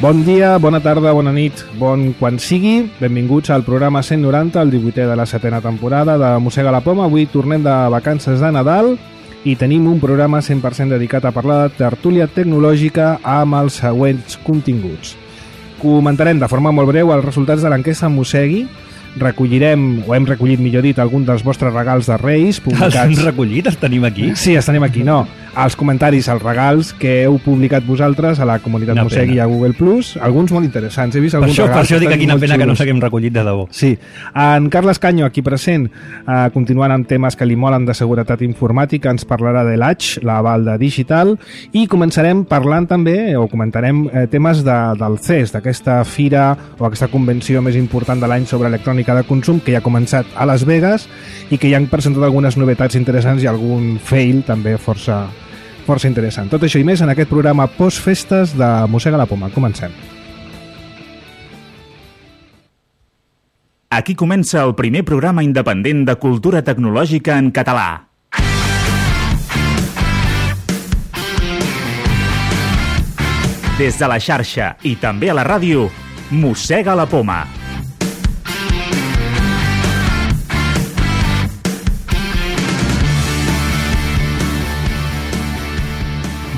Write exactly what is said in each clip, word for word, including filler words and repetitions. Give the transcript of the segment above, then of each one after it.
Bon dia, bona tarda, bona nit, bon quan sigui. Benvinguts al programa cent noranta, el divuitè de la setena temporada de Mossega la Poma. Avui tornem de vacances de Nadal i tenim un programa cent per cent dedicat a parlar de tertúlia tecnològica amb els següents continguts. Comentarem de forma molt breu els resultats de l'enquesta Mossegui. Recollirem, o hem recollit millor dit, alguns dels vostres regals de Reis publicats. Els hem recollit? Els tenim aquí? Sí, els tenim aquí, no. Els comentaris, els regals que heu publicat vosaltres a la comunitat Una Mossegui i a Google Plus, alguns molt interessants. He vist Per alguns això, per regals això dic que quina molt pena que no xulos. s'haguem recollit de debò. Sí. En Carles Canyo, aquí present, eh, continuant amb temes que li molen de seguretat informàtica, ens parlarà de l'A T X, la Balda Digital, i començarem parlant també, o comentarem eh, temes de, del C E S, d'aquesta fira o aquesta convenció més important de l'any sobre electrònica de consum, que ja ha començat a Las Vegas i que ja han presentat algunes novetats interessants i algun fail també força, força interessant. Tot això i més en aquest programa post-festes de Mossega la Poma. Comencem. Aquí comença el primer programa independent de cultura tecnològica en català. Des de la xarxa i també a la ràdio, Mossega la Poma.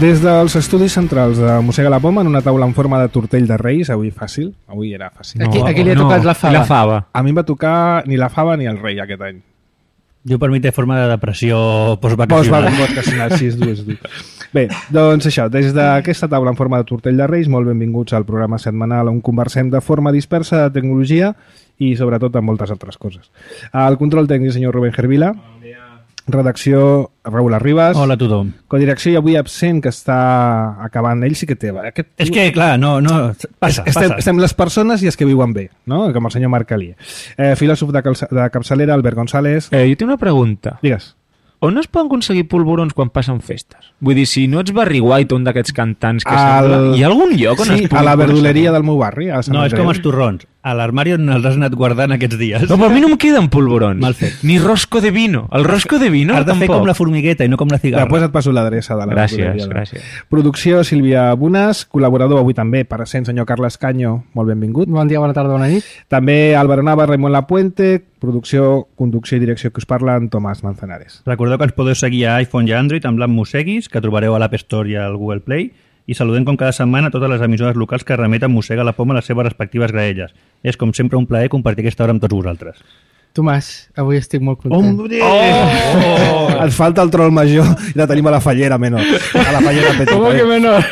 Des dels estudis centrals de Mossega la Poma, en una taula en forma de tortell de Reis, avui fàcil, avui era fàcil. Aquí, aquí li ha tocat la fava. La fava. A mi em va tocar ni la fava ni el rei aquest any. Jo per mi té forma de depressió postvacacional. Postvacacional, sí, és dur, és dur. Bé, doncs això, des d'aquesta taula en forma de tortell de Reis, molt benvinguts al programa setmanal on conversem de forma dispersa de tecnologia i sobretot amb moltes altres coses. Al control tècnic, senyor Rubén Gervila. Bon dia. Redacció, Raül Arribas. Hola a tothom. Codirecció i avui absent, que està acabant. Ell sí que té. Aquest... És que, clar, no, no... Passa, estem, passa. estem les persones i els que viuen bé, no? Com el senyor Marc Calier. Eh, filòsof de, calça, de capçalera, Albert González. Eh, jo tinc una pregunta. Digues. On es poden aconseguir polvorons quan passen festes? Vull dir, si no ets Barry White, un d'aquests cantants que El... sembla... Hi ha algun lloc on sí, es pugui a la aconseguir? verduleria del meu barri. A Sant No, és Andreu. com els torrons. A l'armari on els has anat guardant aquests dies. No, però a mi no em queden polvorons. Mal fet. Ni rosco de vino. El rosco de vino Has de fer tampoc. com la formigueta i no com la cigarra. Després et passo l'adreça de la Gràcies, verduleria. gràcies. Producció, Sílvia Bunas. Col·laborador avui també, per cent, senyor Carles Canyo. Molt benvingut. Bon dia, bona tarda, bona nit. També Álvaro Nava, Raimon Lapuente. Producció, conducció i direcció que us parla en Tomàs Manzanares. Recordeu que ens podeu seguir a iPhone i Android amb l'app Mosseguis, que trobareu a l'App Store i al Google Play, i saludem com cada setmana totes les emissores locals que remeten Mossega la Poma a les seves respectives graelles. És com sempre un plaer compartir aquesta hora amb tots vosaltres. Tomàs, avui estic molt content. Hombre! Oh! oh! Ens falta el troll major i la tenim a la fallera menor. A la fallera petita. Com que menor?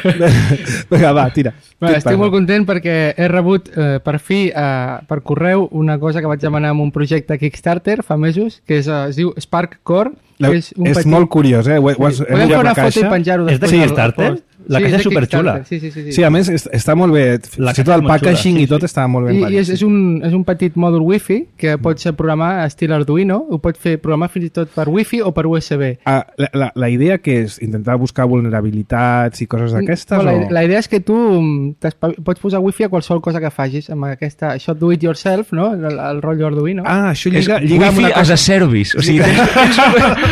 Vinga, va, tira. Bueno, estic molt content perquè he rebut eh, per fi eh, per correu una cosa que vaig demanar en un projecte Kickstarter fa mesos, que és, eh, es diu Spark Core. La, que és un és petit... molt curiós, eh? Ho, ho, Sí. Podem fer una foto i penjar-ho És de després. al- al Kickstarter? post. La Sí, caixa és és de superxula. Kickstarter, Sí, sí, sí, sí. Sí, a més, est- està molt bé. La Fins i tot caixa el és molt xula, packaging sí, i tot sí. està molt ben I, parit. i és, és, un, és un petit mòdul wifi que pots programar estil Arduino, ho pots fer programar fins i tot per wifi o per U S B. Ah, la, la, la idea que és intentar buscar vulnerabilitats i coses d'aquestes? No, la, o... la idea és que tu mm, t'espa- pots posar wifi a qualsevol cosa que facis amb aquesta, això do it yourself, no? el, el rotllo Arduino. Ah, això És lliga, lliga amb wifi una as cosa... a service. O sigui, tens,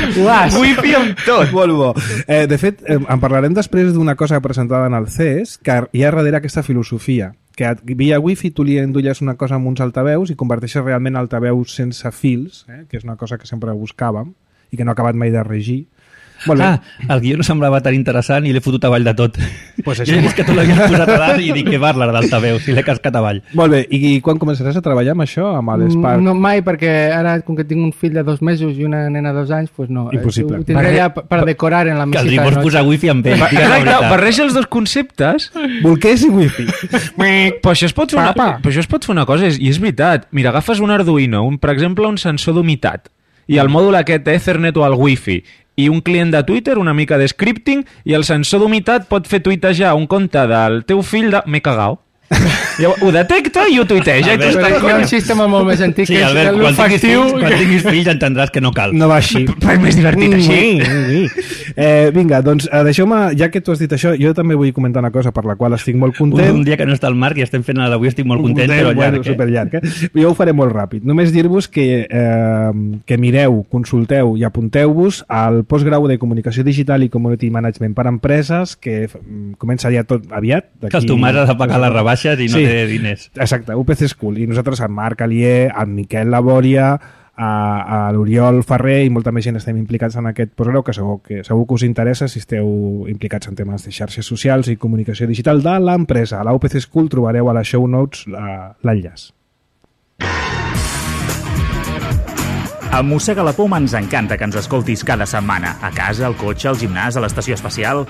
tens Uas. wifi amb tot. Molt bo. Eh, de fet, eh, en parlarem després d'una cosa presentada en el C E S, que hi ha darrere aquesta filosofia, que via wifi tu li endolles una cosa amb uns altaveus i converteixes realment altaveus sense fils, eh, que és una cosa que sempre buscàvem i que no ha acabat mai de regir. Molt bé. Ah, el guió no semblava tan interessant i l'he fotut avall de tot. Pues Jo això. he vist que tu l'havies posat a dalt i dic que parla d'altaveu, si l'he cascat avall. Molt bé, i quan començaràs a treballar amb això, amb l'Spark? No mai, perquè ara, com que tinc un fill de dos mesos i una nena de dos anys, pues no. Impossible. Ho tindré ja per decorar en la mesita Caldria de vols noche. posar wifi amb ell. Clar, digues la clar, veritat. barreja els dos conceptes. Bolquers i wifi. Però això es pot fer una, Papa. però això es pot fer una cosa, és- i és veritat. Mira, agafes un Arduino, un, per exemple, un sensor d'humitat, i el mòdul aquest Ethernet o el Wi-Fi, i un client de Twitter, una mica de scripting, i el sensor d'humitat pot fer tuitejar un compte del teu fill de m'he cagao. Llavors, ho detecta i ho tuiteja. I tu Albert, estàs, Hi ha un coño, sistema molt més antic Sí, que és Albert, quan tinguis, l'olfactiu. fills, quan tinguis fills entendràs que no cal. No va així. però és més divertit així. Eh, vinga, doncs eh, deixeu-me, ja que tu has dit això, jo també vull comentar una cosa per la qual estic molt Un, content. un dia que no està el Marc i estem fent l'avui estic molt content, però bueno, llarg. Eh? superllarg, eh? Jo ho faré molt ràpid. Només dir-vos que, eh, que mireu, consulteu i apunteu-vos al postgrau de Comunicació Digital i Community Management per Empreses, que mm, comença ja tot aviat. Que el Tomàs ha de pagar les rebaixes i no Sí. té diners. Exacte, U P C School. I nosaltres, en Marc Alier, en Miquel Labòria, a, a l'Oriol Ferrer i molta més gent estem implicats en aquest postgrau que segur, que segur que us interessa si esteu implicats en temes de xarxes socials i comunicació digital de l'empresa. A la U P C School trobareu a les show notes la- l'enllaç. A Mossega la Poma ens encanta que ens escoltis cada setmana, a casa, al cotxe, al gimnàs, a l'estació espacial.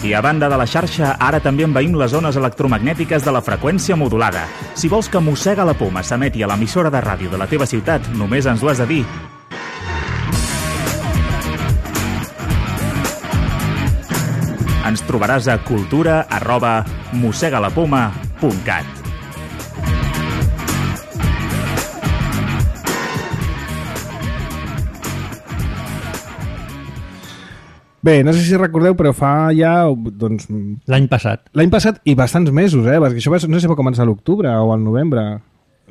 I a banda de la xarxa, ara també envaïm les zones electromagnètiques de la freqüència modulada. Si vols que Mossega la Poma s'emeti a l'emissora de ràdio de la teva ciutat, només ens ho has de dir. Ens trobaràs a cultura arroba mossegalapoma punt cat. Bé, no sé si recordeu, però fa ja, doncs, L'any passat. l'any passat i bastants mesos, eh? Perquè això va, no sé si va començar a l'octubre o al novembre.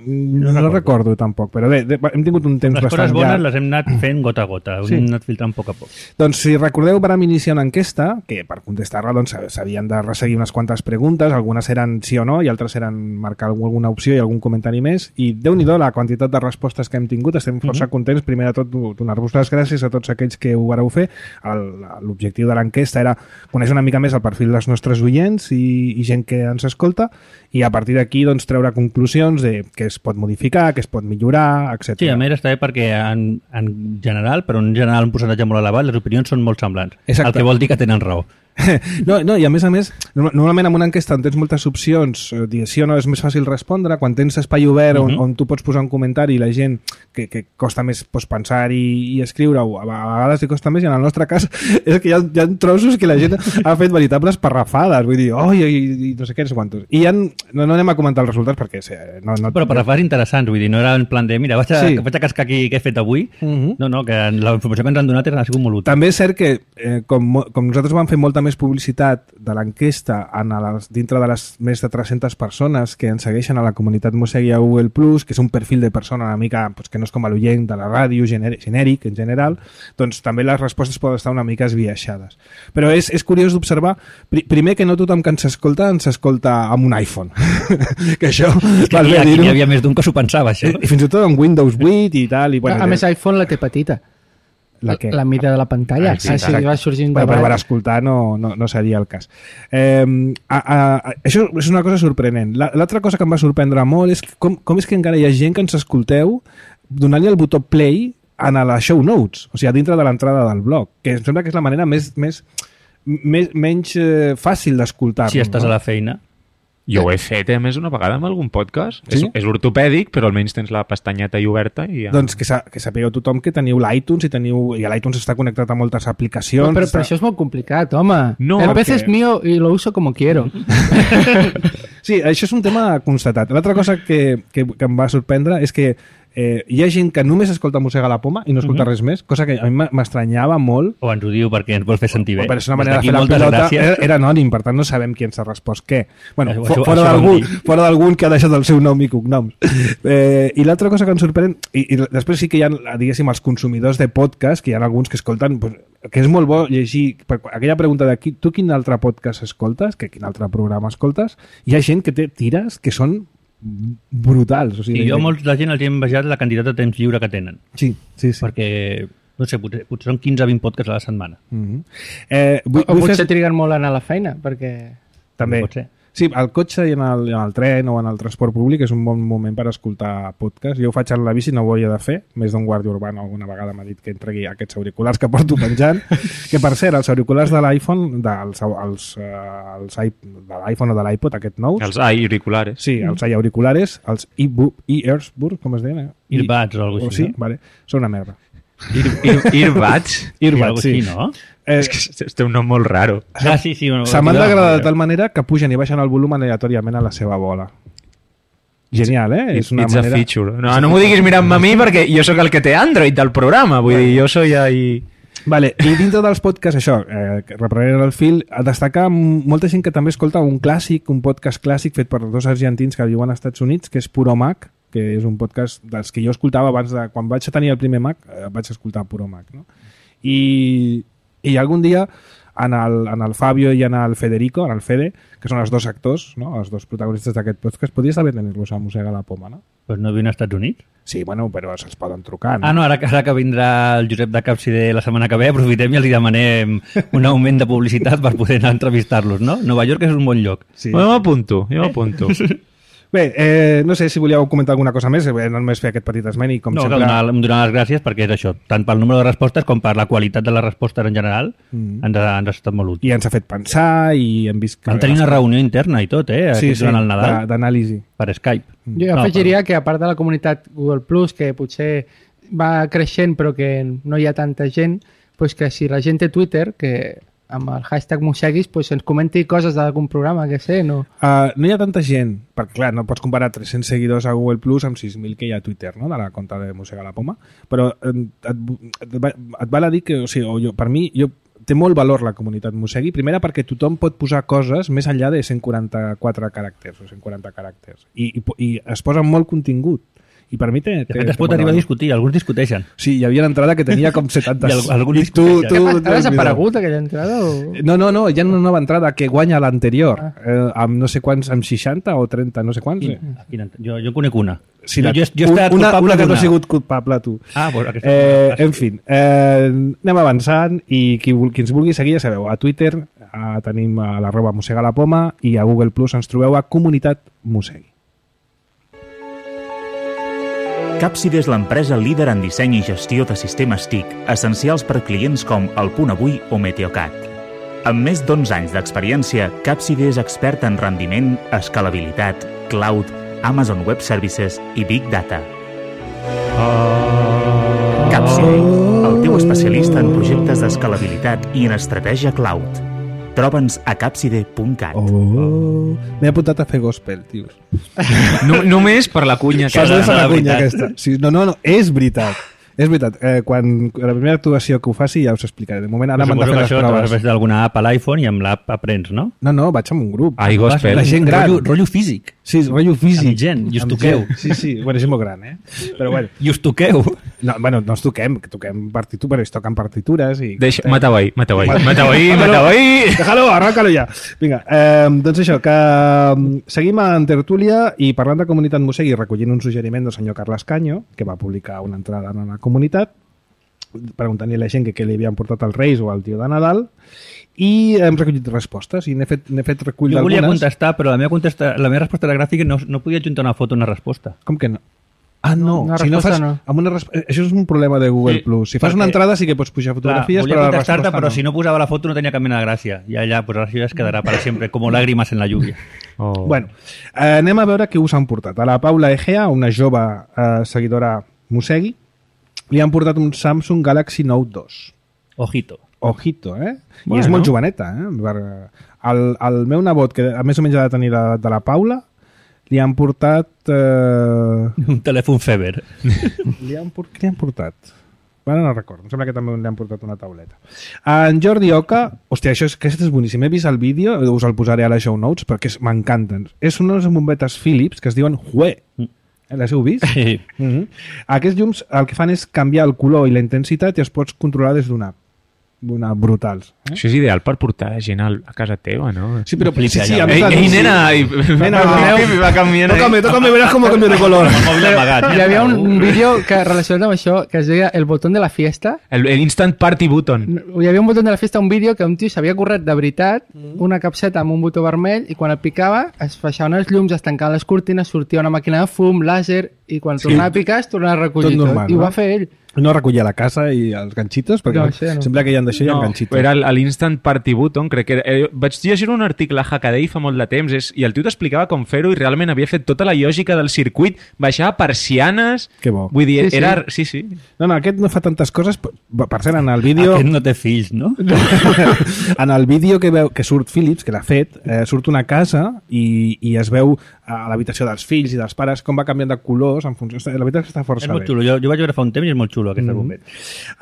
No, no recordo. recordo tampoc, però bé, de, hem tingut un temps Les bastant coses bones llarg. les hem anat fent gota a gota, Sí. hem anat filtrant a poc a poc. Doncs si recordeu, vam iniciar una enquesta que per contestar-la doncs, s'havien de resseguir unes quantes preguntes, algunes eren sí o no i altres eren marcar alguna opció i algun comentari més, i déu-n'hi-do la quantitat de respostes que hem tingut, estem força Mhm. contents. Primer de tot, donar-vos les gràcies a tots aquells que ho vareu fer. El- L'objectiu de l'enquesta era conèixer una mica més el perfil dels nostres oients i, i gent que ens escolta, i a partir d'aquí doncs, treure conclusions de què es pot modificar, què es pot millorar, etcètera. Sí, a més està bé perquè en, en general, però en general un percentatge molt elevat, les opinions són molt semblants. Exacte. El que vol dir que tenen raó. No, no, i a més a més, norma- normalment en una enquesta on tens moltes opcions, eh, dir sí o no és més fàcil respondre, quan tens espai obert on, Mhm. on tu pots posar un comentari i la gent que, que costa més pues, pensar i, i escriure-ho, a vegades li costa més, i en el nostre cas és que hi ha, hi ha trossos que la gent ha fet veritables parrafades, vull dir, oh, i, i, i no sé què, no sé quantos. I ja, no, no anem a comentar els resultats perquè eh, no, no, Però per refars interessants, vull dir, no era en plan de, mira, vaig a, Sí. vaig a cascar aquí què he fet avui. Mhm. No, no, que la informació que ens han donat ha sigut molt útil. També és cert que, eh, com, mo- com nosaltres vam fer molta més publicitat de l'enquesta en les, dintre de les més de tres-centes persones que ens segueixen a la comunitat Mossegui a Google Plus, que és un perfil de persona una mica pues, que no és com a l'oient de la ràdio, gener genèric en general, doncs també les respostes poden estar una mica esbiaixades. Però és, és curiós d'observar, pri primer que no tothom que ens escolta ens escolta amb un iPhone. que això, És que val aquí, bé aquí dir-ho. n'hi havia més d'un que s'ho pensava, això. I fins i tot amb Windows vuit i tal. I, bueno, A més, iPhone la té petita. la, què? La mida de la pantalla. Ah, sí, Ah, sí, exacte. va sorgir un Bueno, però per debat. escoltar no, no, no seria el cas. Eh, a, a, a, això és una cosa sorprenent. La- L'altra cosa que em va sorprendre molt és com, com és que encara hi ha gent que ens escolteu donant-li el botó play en a les show notes, o sigui, a dintre de l'entrada del blog, que em sembla que és la manera més, més, més menys eh, fàcil d'escoltar-nos. Si estàs no? a la feina. Jo ho he fet, eh, a més, una vegada amb algun podcast. Sí? És, és ortopèdic, però almenys tens la pestanyeta i oberta i ja... Doncs que, sa que sapigueu tothom que teniu l'iTunes i teniu i l'iTunes està connectat a moltes aplicacions. Però, però, està... però això és molt complicat, home. No, el pez perquè- es mío y lo uso como quiero. Sí, això és un tema constatat. L'altra cosa que, que, que em va sorprendre és que eh, hi ha gent que només escolta Mossega la Poma i no escolta res més, cosa que a mi m'estranyava molt. O ens ho diu perquè ens vol fer sentir bé. Però és una Des manera de d'aquí, fer la moltes pilota. gràcies. Era, era anònim, per tant no sabem qui ens ha respost què. Bueno, Això- fo això- fora això vam d'algun dir. fora d'algun que ha deixat el seu nom i cognoms. Eh, I l'altra cosa que ens sorprèn, i, i després sí que hi ha, diguéssim, els consumidors de podcast, que hi ha alguns que escolten, pues, que és molt bo llegir, per aquella pregunta de qui, tu quin altre podcast escoltes, que quin altre programa escoltes, hi ha gent que té tires que són brutals. O sigui, I jo a molts de gent els he envejat la quantitat de temps lliure que tenen. Sí, sí, sí. Perquè, no sé, potser, potser són quinze o vint podcasts a la setmana. Mm -hmm. eh, O, vull, o vull potser fer... triguen molt a anar a la feina, perquè... També. Pot ser. Sí, al cotxe i en el, en el tren o en el transport públic és un bon moment per escoltar podcast. Jo ho faig en la bici, no ho hauria de fer. Més d'un guàrdia urbà alguna vegada m'ha dit que em tregui aquests auriculars que porto penjant. Que, per cert, els auriculars de l'iPhone, dels, els, eh, els, de l'iPhone o de l'iPod, aquest nous... Els auriculares. Sí, els auriculares, els e-Earsburg, com es deien? Eh? Earbuds o alguna O cosa així. sí? Vale. Són una merda. Earbuds? Earbuds, sí. Així, no? Eh, És que té un nom molt raro. Ah, sí, sí. Bueno, se m'han no, d'agradar no, de tal manera que pugen i baixen el volum aleatòriament a la seva bola. Genial, eh? It's, it's a feature. No, no m'ho diguis mirant-me a mi perquè jo sóc el que té Android del programa. Vull dir, jo soy ahí... Vale, i dintre dels podcasts, això, eh, reprenent el fil, a destacar molta gent que també escolta un clàssic, un podcast clàssic fet per dos argentins que viuen als Estats Units, que és Puro Mac, que és un podcast dels que jo escoltava abans de... Quan vaig tenir el primer Mac, eh, vaig escoltar Puro Mac, no? I, i algun dia en el, en el Fabio i en el Federico, en el Fede, que són els dos actors, no? Els dos protagonistes d'aquest podcast, podries saber tenir-los a Mossega la Poma, no? Pues no viuen als Estats Units? Sí, bueno, però se'ls poden trucar, no? Ah, no, ara, ara que vindrà el Josep de Capsider la setmana que ve, aprofitem i els demanem un augment de publicitat per poder anar a entrevistar-los, no? Nova York és un bon lloc. Sí. Jo m'apunto, jo m'apunto. Bé, eh, no sé si volíeu comentar alguna cosa més, eh, no només fer aquest petit esment i com No, sempre... que donar, donar les gràcies perquè és això, tant pel número de respostes com per la qualitat de les respostes en general, mm. ens, ha, ens ha estat molt útil. I ens ha fet pensar i hem vist... Vam tenir una reunió interna i tot, eh? Sí, sí, durant el Nadal. d'anàlisi. Per Skype. Jo afegiria que a part de la comunitat Google Plus, que potser va creixent però que no hi ha tanta gent, pues que si la gent té Twitter, que amb el hashtag Mosseguis pues ens comenti coses d'algun programa, que sé, no? Uh, no hi ha tanta gent, perquè clar, no pots comparar tres-cents seguidors a Google Plus amb sis mil que hi ha a Twitter, no?, de la compte de Mossega la Poma, però eh, et, et, et val a dir que, o sigui, o jo, per mi, jo, té molt valor la comunitat Mossegui, primera perquè tothom pot posar coses més enllà de cent quaranta-quatre caràcters o cent quaranta caràcters, i, i, i es posa molt contingut. I per mi té... De fet, es pot arribar a discutir, alguns discuteixen. Sí, hi havia una entrada que tenia com setanta... I alguns I tu, tu, Ha tu, desaparegut aquella entrada? O... No, no, no, hi ha una nova entrada que guanya l'anterior, ah. eh, amb no sé quants, amb seixanta o trenta, no sé quants. I, Eh? jo, jo conec una. Sí, jo, la, jo, jo he estat una, culpable una que no d'una. ha sigut culpable, tu. Ah, pues aquesta eh, en fi, eh, anem avançant i qui, qui ens vulgui seguir, ja sabeu, a Twitter a, tenim a l'arroba Mossega la Poma i a Google Plus ens trobeu a Comunitat Mossegui. Capside és l'empresa líder en disseny i gestió de sistemes T I C, essencials per clients com El Punt Avui o Meteocat. Amb més d'onze anys d'experiència, Capside és expert en rendiment, escalabilitat, cloud, Amazon Web Services i Big Data. Capside, el teu especialista en projectes d'escalabilitat i en estratègia cloud. Troba'ns a capside punt cat. Oh, m'he apuntat a fer gospel, tios. No, només per la cunya. Saps Que... és la cunya aquesta? Sí, no, no, no, és veritat. És veritat, eh, quan la primera actuació que ho faci ja us explicaré. De moment ara m'han de fer les això proves. a través d'alguna app a l'iPhone i amb l'app aprens, no? No, no, vaig amb un grup. Ai, gospel. La gent gran. Rotllo, rotllo físic. Sí, rotllo físic. Amb gent, i us Amb toqueu. gent. Sí, sí, bueno, és molt gran, eh? Però bueno. I us toqueu. No, bueno, no ens toquem, que toquem partitures, però es toquen partitures i... Deixa, mata-ho ahí, mata-ho ahí, mata-ho ahí, mata-ho ahí. Déjalo, arranca-lo ja. Vinga, eh, doncs això, que eh, seguim en tertúlia i parlant de comunitat Mossegui, recollint un suggeriment del senyor Carles Canyo, que va publicar una entrada en la comunitat, preguntant-li a la gent que què li havien portat als Reis o al tio de Nadal, i hem recollit respostes i n'he fet, n'he fet recull Jo d'algunes. volia contestar, però la meva, contesta, la meva resposta era gràfica i no, no podia adjuntar una foto a una resposta. Com que no? Ah, no. Una si no resposta fas, no. amb una resp... Això és un problema de Google Sí, Plus. Si fas perquè- una entrada sí que pots pujar fotografies, volia però la contestar-te, resposta però no. si no posava la foto no tenia cap mena de gràcia. I allà, pues, això ja es quedarà per sempre, com lágrimas en la lluvia. Oh. Bueno, eh, anem a veure què us han portat. A la Paula Egea, una jove eh, seguidora Mossegui, li han portat un Samsung Galaxy Note dos. Ojito. Ojito, eh? Bueno. I és molt joveneta, eh? Per... El, el meu nebot, que a més o menys ha de tenir l'edat de la Paula, li han portat... Eh... Un telèfon Feber. li han por... Què li han portat? Ara no recordo, em sembla que també li han portat una tauleta. En Jordi Oca, hòstia, això és, aquest és boníssim. He vist el vídeo, us el posaré a les show notes, perquè és- m'encanten. És unes bombetes Philips que es diuen Hue. Les heu vist? Sí. Mm-hmm. Aquests llums el que fan és canviar el color i la intensitat i els pots controlar des d'una app. Una brutals. Eh? Això és ideal per portar gent al- a casa teva, no? Sí, però sí, Flipa sí, ja. a més Ei, la- ei, nena! I... Nena, Pipi, va canviant. Tócame, tócame, verás cómo cambio de color. El mòbil amagat. Hi havia un, un vídeo que relacionat amb això que es deia El botón de la fiesta. El, el instant party button. Hi havia un botó de la fiesta, un vídeo que un tio s'havia corret de veritat, una capseta amb un botó vermell, i quan el picava es baixaven els llums, es tancaven les cortines, sortia una màquina de fum, làser, i quan sí. tornava a picar es tornava a recollir tot, normal, tot. I ho va fer ell. No recollia la casa i els ganxitos, perquè no, sí, no. sempre que hi ha d'això hi ha no, ganxitos. Era l'Instant Party Button, crec que era. Eh, vaig llegir un article a Hackaday fa molt de temps és, i el tio t'explicava com fer-ho i realment havia fet tota la lògica del circuit, baixava persianes... Que bo. Vull dir, sí, era... Sí. sí, sí. No, no, aquest no fa tantes coses, per cert, en el vídeo... Aquest no té fills, no? En el vídeo que veu que surt Philips, que l'ha fet, eh, surt una casa i, i es veu a l'habitació dels fills i dels pares com va canviant de colors en funció... La veritat és que està força és molt bé. xulo. Jo, jo vaig veure fa un temps i és molt xulo aquest mm. argument.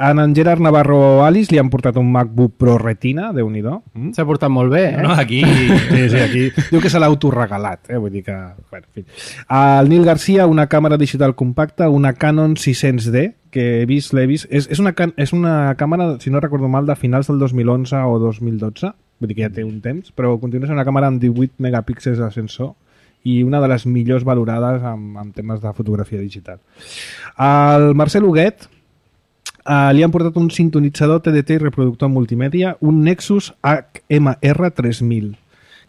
En en Gerard Navarro Alice li han portat un MacBook Pro Retina, Déu-n'hi-do. Mm? S'ha portat molt bé, eh? No, aquí... Sí, sí, aquí. Diu que se l'ha autoregalat, eh? Vull dir que... Bueno, en fi. El Nil Garcia, una càmera digital compacta, una Canon sis cents D, que he vist, l'he vist. És, és, una, és una càmera, si no recordo mal, de finals del dos mil onze o dos mil dotze. Vull dir que ja té un temps, però continua sent una càmera amb divuit megapíxels de sensor i una de les millors valorades en, en temes de fotografia digital. El Marcel Huguet uh, li han portat un sintonitzador T D T i reproductor multimèdia, un Nexus H M R tres mil,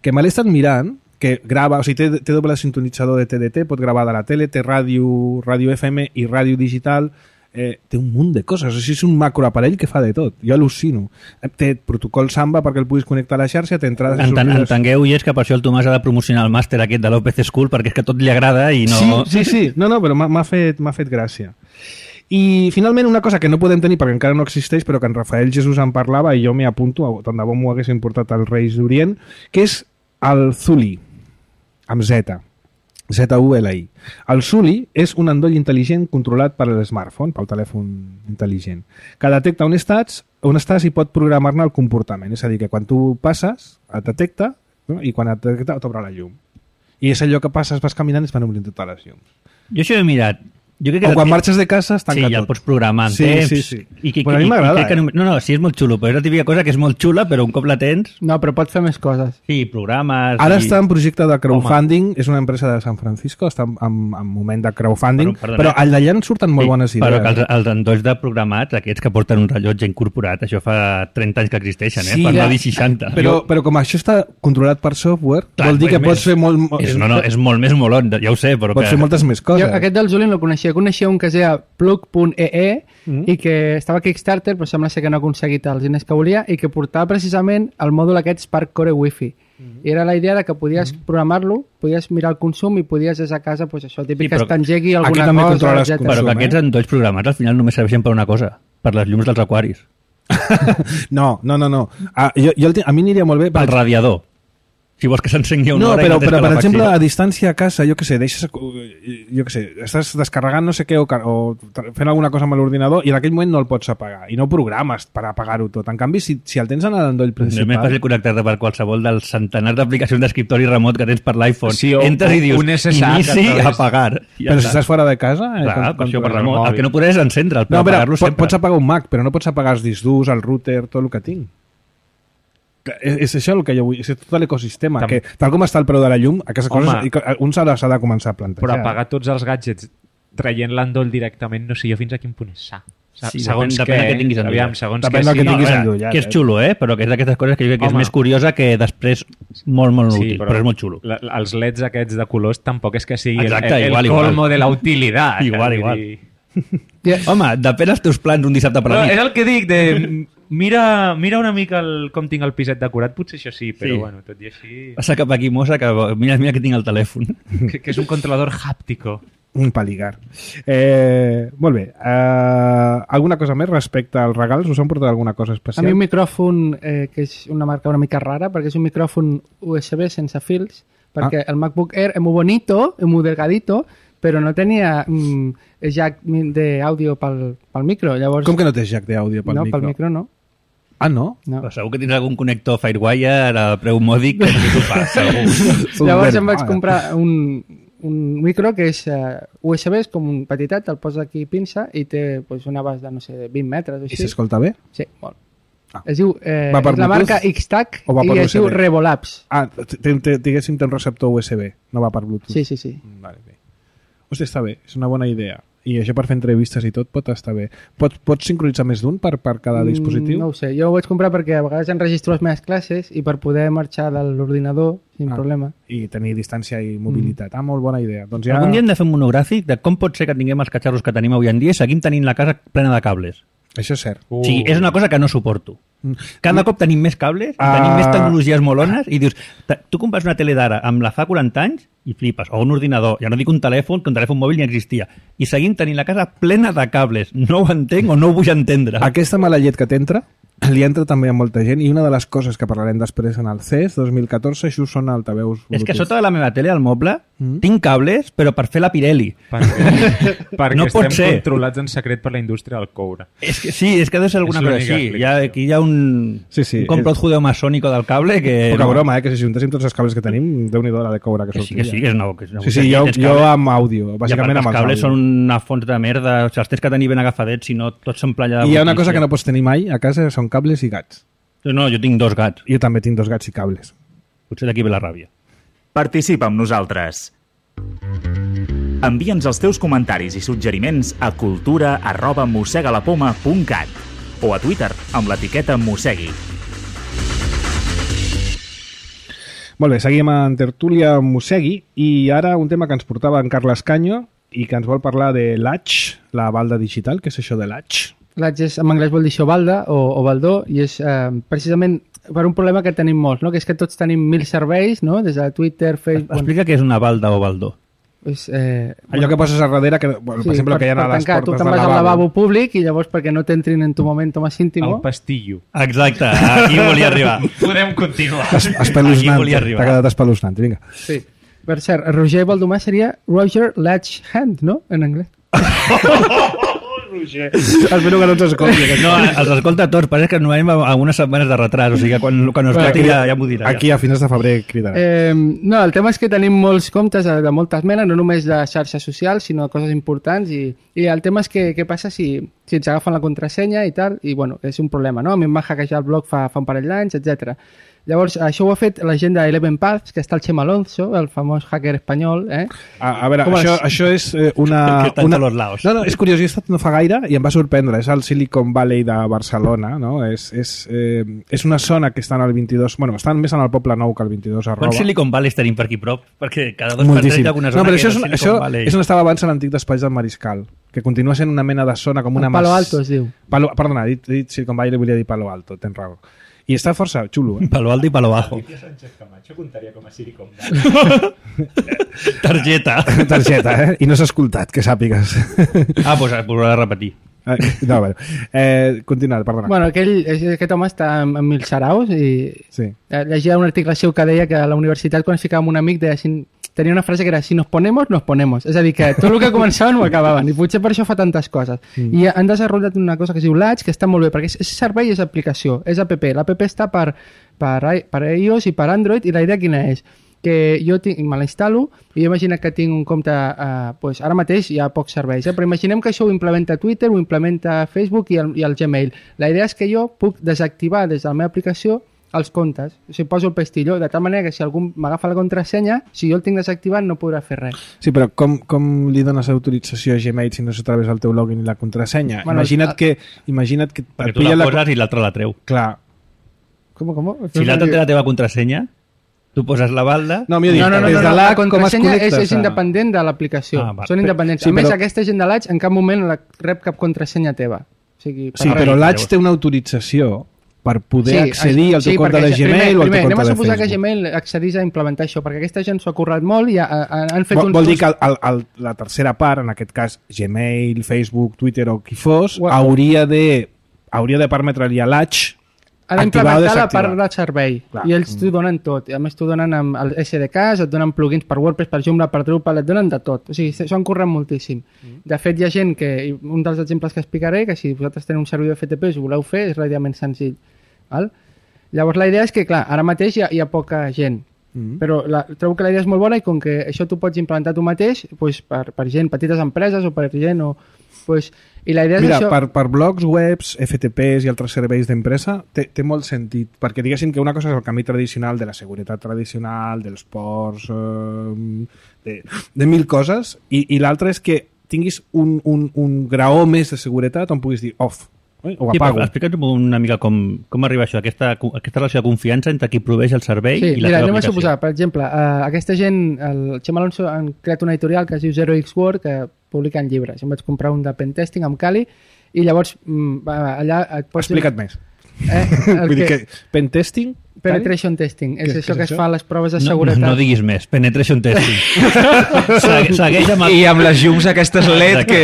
que me l'he estat mirant, que grava, o sigui, té, té doble sintonitzador de T D T, pot gravar de la tele, té ràdio, ràdio F M i ràdio digital, eh, té un munt de coses, o sigui, és un macroaparell que fa de tot, jo al·lucino. Té protocol Samba perquè el puguis connectar a la xarxa, té entrades... Enten, entengueu, i és que per això el Tomàs ha de promocionar el màster aquest de l'O P C School, perquè és que tot li agrada i no... Sí, sí, sí. No, no, però m'ha fet, m'ha fet gràcia. I finalment una cosa que no podem tenir perquè encara no existeix, però que en Rafael Jesús en parlava i jo m'hi apunto, tant de bo m'ho haguessin portat als Reis d'Orient, que és el Zuli, amb Z. Z U L I. El Zuli és un endoll intel·ligent controlat per l'smartphone, pel telèfon intel·ligent, que detecta on estàs, on estàs i pot programar-ne el comportament. És a dir, que quan tu passes, et detecta, no? I quan et detecta, t'obre la llum. I és allò que passes, vas caminant i es van obrint totes les llums. Jo això he mirat. Jo crec que o quan marxes de casa es tanca sí, ja tot. el pots programar en sí, temps. Sí, sí. I que, bueno, a mi m'agrada. Eh? No, no, sí, és molt xulo, però és la típica cosa que és molt xula, però un cop la tens... No, però pots fer més coses. Sí, programes... Ara i... està en projecte de crowdfunding, Home. És una empresa de San Francisco, està en, en, en moment de crowdfunding, però, però d'allà en surten molt sí, bones idees. Però que els, els endolls de programats, aquests que porten un rellotge incorporat, això fa trenta anys que existeixen, eh? Sí, per ja. no dir seixanta. Però, però com això està controlat per software, clar, vol dir que pots fer molt... És, no, no, és molt més molot, ja ho sé, però pots que... fer moltes més coses. Jo aquest del Juli no el coneixia, coneixia un que es deia plug punt e e mm. i que estava a Kickstarter però sembla ser que no ha aconseguit els diners que volia i que portava precisament el mòdul aquest Spark Core Wi-Fi mm. i era la idea de que podies mm. programar-lo, podies mirar el consum i podies des a casa, pues això, típic sí, que es t'engegui alguna cosa, etcètera. Però que aquests endolls programats al final només serveixen per una cosa, per les llums dels aquaris. no, no, no, no. Ah, jo, jo, a mi aniria molt bé... Pel radiador. Si vols que s'encengui una no, hora... No, però, però per exemple, a distància a casa, jo què sé, deixes, jo què sé, estàs descarregant no sé què o, o fent alguna cosa amb l'ordinador i en aquell moment no el pots apagar i no programes per apagar-ho tot. En canvi, si, si el tens en l'endoll principal... No és més fàcil connectar-te per qualsevol dels centenars d'aplicacions d'escriptori remot que tens per l'iPhone. Sí, o, entres i dius, un S S H inici, apagar. Ja però si estàs fora de casa... Clar, per això per remot. El que no podràs és encendre'l, però no, apagar-lo sempre. Pots apagar un Mac, però no pots apagar els discs durs, el router, tot el que tinc. És, és això el que jo vull, és tot l'ecosistema, que tal com està el preu de la llum, aquestes Home, coses un s'ha de, de començar a plantejar. Però apagar tots els gadgets traient l'endoll directament, no sé jo fins a quin punt és sa. Sí, segons depèn, que, depèn que tinguis aviam, segons depèn que, que, sí. tinguis no, veure, que és xulo, eh? Però que és d'aquestes coses que jo crec que Home. és més curiosa que després molt, molt sí, útil, però, però és molt xulo. La, els leds aquests de colors tampoc és que sigui Exacte, el, el, igual, el colmo igual. de la utilitat. igual, igual. Dir... Yeah. Home, depèn dels teus plans un dissabte per la nit. No, és el que dic, de mira, mira una mica el, com tinc el piset decorat, potser això sí, però sí. bueno, tot i així... Passa cap aquí, mossa, que mira, mira que tinc el telèfon. Que, que és un controlador hàptico. Un paligar. Eh, molt bé. Eh, alguna cosa més respecte als regals? Us han portat alguna cosa especial? A mi un micròfon, eh, que és una marca una mica rara, perquè és un micròfon U S B sense fils, perquè ah. el MacBook Air és molt bonito, és molt delgadito, però no tenia mm, jack d'àudio pel, pel micro. Llavors... Com que no tens jack d'àudio pel no, micro? No, pel micro no. Ah, no? no. Però segur que tens algun connector Firewire a preu mòdic que no t'ho fas, segur. Llavors em vaig comprar un, un micro que és uh, U S B, és com un petitet, el poses aquí pinça i té pues, un abast de, no sé, vint metres o així. I s'escolta bé? Sí, molt. Ah. Es diu, eh, és la marca X-Tac i es diu Revolabs. Ah, diguéssim té un receptor U S B, no va per Bluetooth. Sí, sí, sí. Vale, bé. Hosti, està bé, és una bona idea. I això per fer entrevistes i tot pot estar bé. Pots, pots sincronitzar més d'un per, per cada dispositiu? Mm, no ho sé, jo ho vaig comprar perquè a vegades enregistro les meves classes i per poder marxar de l'ordinador sin ah, problema. I tenir distància i mobilitat. Mm. Ah, molt bona idea. Doncs ja... Algun dia hem de fer un monogràfic de com pot ser que tinguem els catxarros que tenim avui en dia i seguim tenint la casa plena de cables. Això és cert. Uh. O sigui, és una cosa que no suporto. Cada cop tenim més cables, Ah. tenim més tecnologies molones i dius, ta- tu compres una tele d'ara amb la fa quaranta anys i flipes, o un ordinador, ja no dic un telèfon, que un telèfon mòbil ni existia, i seguim tenint la casa plena de cables. No ho entenc o no ho vull entendre. Aquesta mala llet que t'entra li entra també a molta gent i una de les coses que parlarem després en el C E S dos mil catorze això són altaveus Bluetooth. És que sota de la meva tele, al moble, Mm. tinc cables, però per fer la Pirelli. Perquè, perquè No pot estem ser. controlats en secret per la indústria del coure. És que sí, és que ha de ser alguna És cosa l'única així. Hi ha, explicació. aquí hi ha un, Sí, sí, un complot és- judeo-masònico del cable que... Poca no, broma, eh? Que si juntéssim tots els cables que tenim, déu-n'hi-do la de coure que que sí, sortiria. que sí, que és una, que és una Sí, sí, jo, tens jo cables. amb àudio, I a part bàsicament que amb els els cables àudios. són una font de merda, o sigui, els tens que tenir ben agafadets, si no tots són playa de I hi ha una brutícia. cosa que no pots tenir mai a casa, són cables i gats. No, jo tinc dos gats. Jo també tinc dos gats i cables. Potser d'aquí ve la ràbia. Participa amb nosaltres. Envia'ns els teus comentaris i suggeriments a cultura arroba mossegalapoma punt cat o a Twitter amb l'etiqueta mossegui. Molt bé, seguim en tertúlia amb Mossegui i ara un tema que ens portava en Carles Canyo i que ens vol parlar de l'A T X, la balda digital. Què és això de l'A T X? L'A T X en anglès vol dir això balda o, o baldó i és eh, precisament per un problema que tenim molts, no? Que és que tots tenim mil serveis, no? Des de Twitter, Facebook... Explica què és una balda o baldó. És, eh, Allò que poses a darrere, que, bueno, per exemple, per, que hi ha per a les tancar, tu portes te'n del vas al lavabo. lavabo públic i llavors perquè no t'entrin en tu momento más íntimo... El pastillo. Exacte, aquí volia arribar. Podem continuar. Aquí Espeluznant, volia t'ha arribar. quedat espeluznant, vinga. Sí. Per cert, Roger Baldomar seria Roger Latchhand, no? En anglès. Espero que no ens escolti. aquest. No, els escolta tots, però és que no hem algunes setmanes de retras, o sigui que quan, quan us Bueno, tracti ja, ja m'ho dirà. Aquí a finals de febrer cridarà. Eh, no, el tema és que tenim molts comptes de, de moltes menes, no només de xarxes socials, sinó de coses importants, i, i el tema és que què passa si, si ens agafen la contrasenya i tal, i bueno, és un problema, no? A mi em va hackejar el blog fa, fa un parell d'anys, etcètera. Llavors, això ho ha fet la gent d'Eleven Paths, que està el Chema Alonso, el famós hacker espanyol, eh? A, a veure, Com això, es- això és eh, una... Que està en una... tots els laos. No, no, és curiós, jo he estat no fa gaire i em va sorprendre. És el Silicon Valley de Barcelona, no? És, és, eh, és una zona que està en el vint-i-dos... Bueno, estan més en el Poble Nou que el vint-i-dos arroba. Quants Silicon Valley tenim per aquí prop? Perquè cada dos per tres Moltíssim. hi ha alguna No, zona però que això, és, el un- Silicon això Valley. és on estava abans l'antic despatx del Mariscal, que continua sent una mena de zona com una... El Palo mas- Alto es diu. Palo, perdona, he dit, he dit Silicon Valley, volia dir Palo Alto, tens raó. I està força xulo, eh? Palo Alto i Palo Bajo. Sánchez Camacho comptaria com a Silicon Valley. Targeta. Targeta, eh? I no s'ha escoltat, que sàpigues. Ah, doncs pues, ho he de repetir. Eh, no, bueno. Eh, continua, perdona. Bueno, aquell, aquest home està en, en mil saraus i Sí. eh, llegia un article seu que deia que a la universitat quan es ficava amb un amic deia, si, tenia una frase que era si nos ponemos, nos ponemos. És a dir, que tot el que començaven ho acabaven i potser per això fa tantes coses. Mm. I han desenvolupat una cosa que es diu L A T, que està molt bé perquè és, és servei i és aplicació, és app. L'app està per, per, i- per iOS i per Android i la idea quina és? Que jo tinc, me la instal·lo i imagina que tinc un compte, eh, pues ara mateix hi ha pocs serveis, eh? Però imaginem que això ho implementa Twitter, ho implementa Facebook i el, i el Gmail. La idea és que jo puc desactivar des de la meva aplicació els comptes, o sigui, poso el pestillo, de tal manera que si algú m'agafa la contrasenya, si jo el tinc desactivat no podrà fer res. Sí, però com, com li dones autorització a Gmail si no és a través del teu login i la contrasenya? Bueno, imagina't, a- que, imagina't que... Perquè et tu la pilla poses i l'altre la treu. Clar. Com, com? Si l'altre té la teva contrasenya, tu poses la balda... No, millor dit, No, no, no, des no, de no, l'A la C, com es contrasenya és, connectes és a- independent de l'aplicació. Ah, va. Són independents. Sí, a més, però- aquesta gent de l'A T S en cap moment la rep cap contrasenya teva. O sigui, per Sí, res. però l'A T S té una autorització per poder accedir al teu compte perquè de ja- Gmail primer, o al primer, teu anem compte a de suposar que Facebook. Gmail accedís a implementar això, perquè aquesta gent s'ho ha currat molt i ha, ha, han fet Vol, uns... vol dir que el, el, el, la tercera part, en aquest cas Gmail, Facebook, Twitter o qui fos, Well- hauria de hauria de permetre-li a l'A T S ha activar o d'implementar la desactivar. part del servei. Clar. I ells t'ho donen tot. I a més t'ho donen amb el S D Ks, et donen plugins per WordPress, per Joomla, per Drupal, et donen de tot. O sigui, s'ho han currat moltíssim. De fet, hi ha gent que, i un dels exemples que explicaré, que si vosaltres teniu un servidor F T P i ho voleu fer, és relativament senzill. Val? Llavors la idea és que, clar, ara mateix hi ha, hi ha poca gent, Mm. però la, trobo que la idea és molt bona i com que això tu pots implementar tu mateix, doncs per, per gent, petites empreses o per gent o... Doncs, i la idea és Mira, això... per, per blogs, webs, F T Ps i altres serveis d'empresa té, té molt sentit, perquè diguéssim que una cosa és el camí tradicional de la seguretat tradicional, dels ports, eh, de, de mil coses, i, i l'altra és que tinguis un, un, un graó més de seguretat on puguis dir off, eh? o Sí, apago. explica'ns una mica com, com arriba això, aquesta, aquesta relació de confiança entre qui proveeix el servei Sí, i la mira, teva anem a aplicació. suposar, per exemple, uh, aquesta gent, el Xema Alonso han creat una editorial que es diu Zero X Word, que publiquen llibres. Em vaig comprar un de pentesting amb Kali i llavors mm, va, allà et pots... Explica't més. Eh, el Vull dir que... que pentesting... Penetration testing, és Què- això què que és es això? fa a les proves de No, seguretat. no diguis més, penetration testing. Segue, segueix amb el... I amb les llums aquestes L E D que...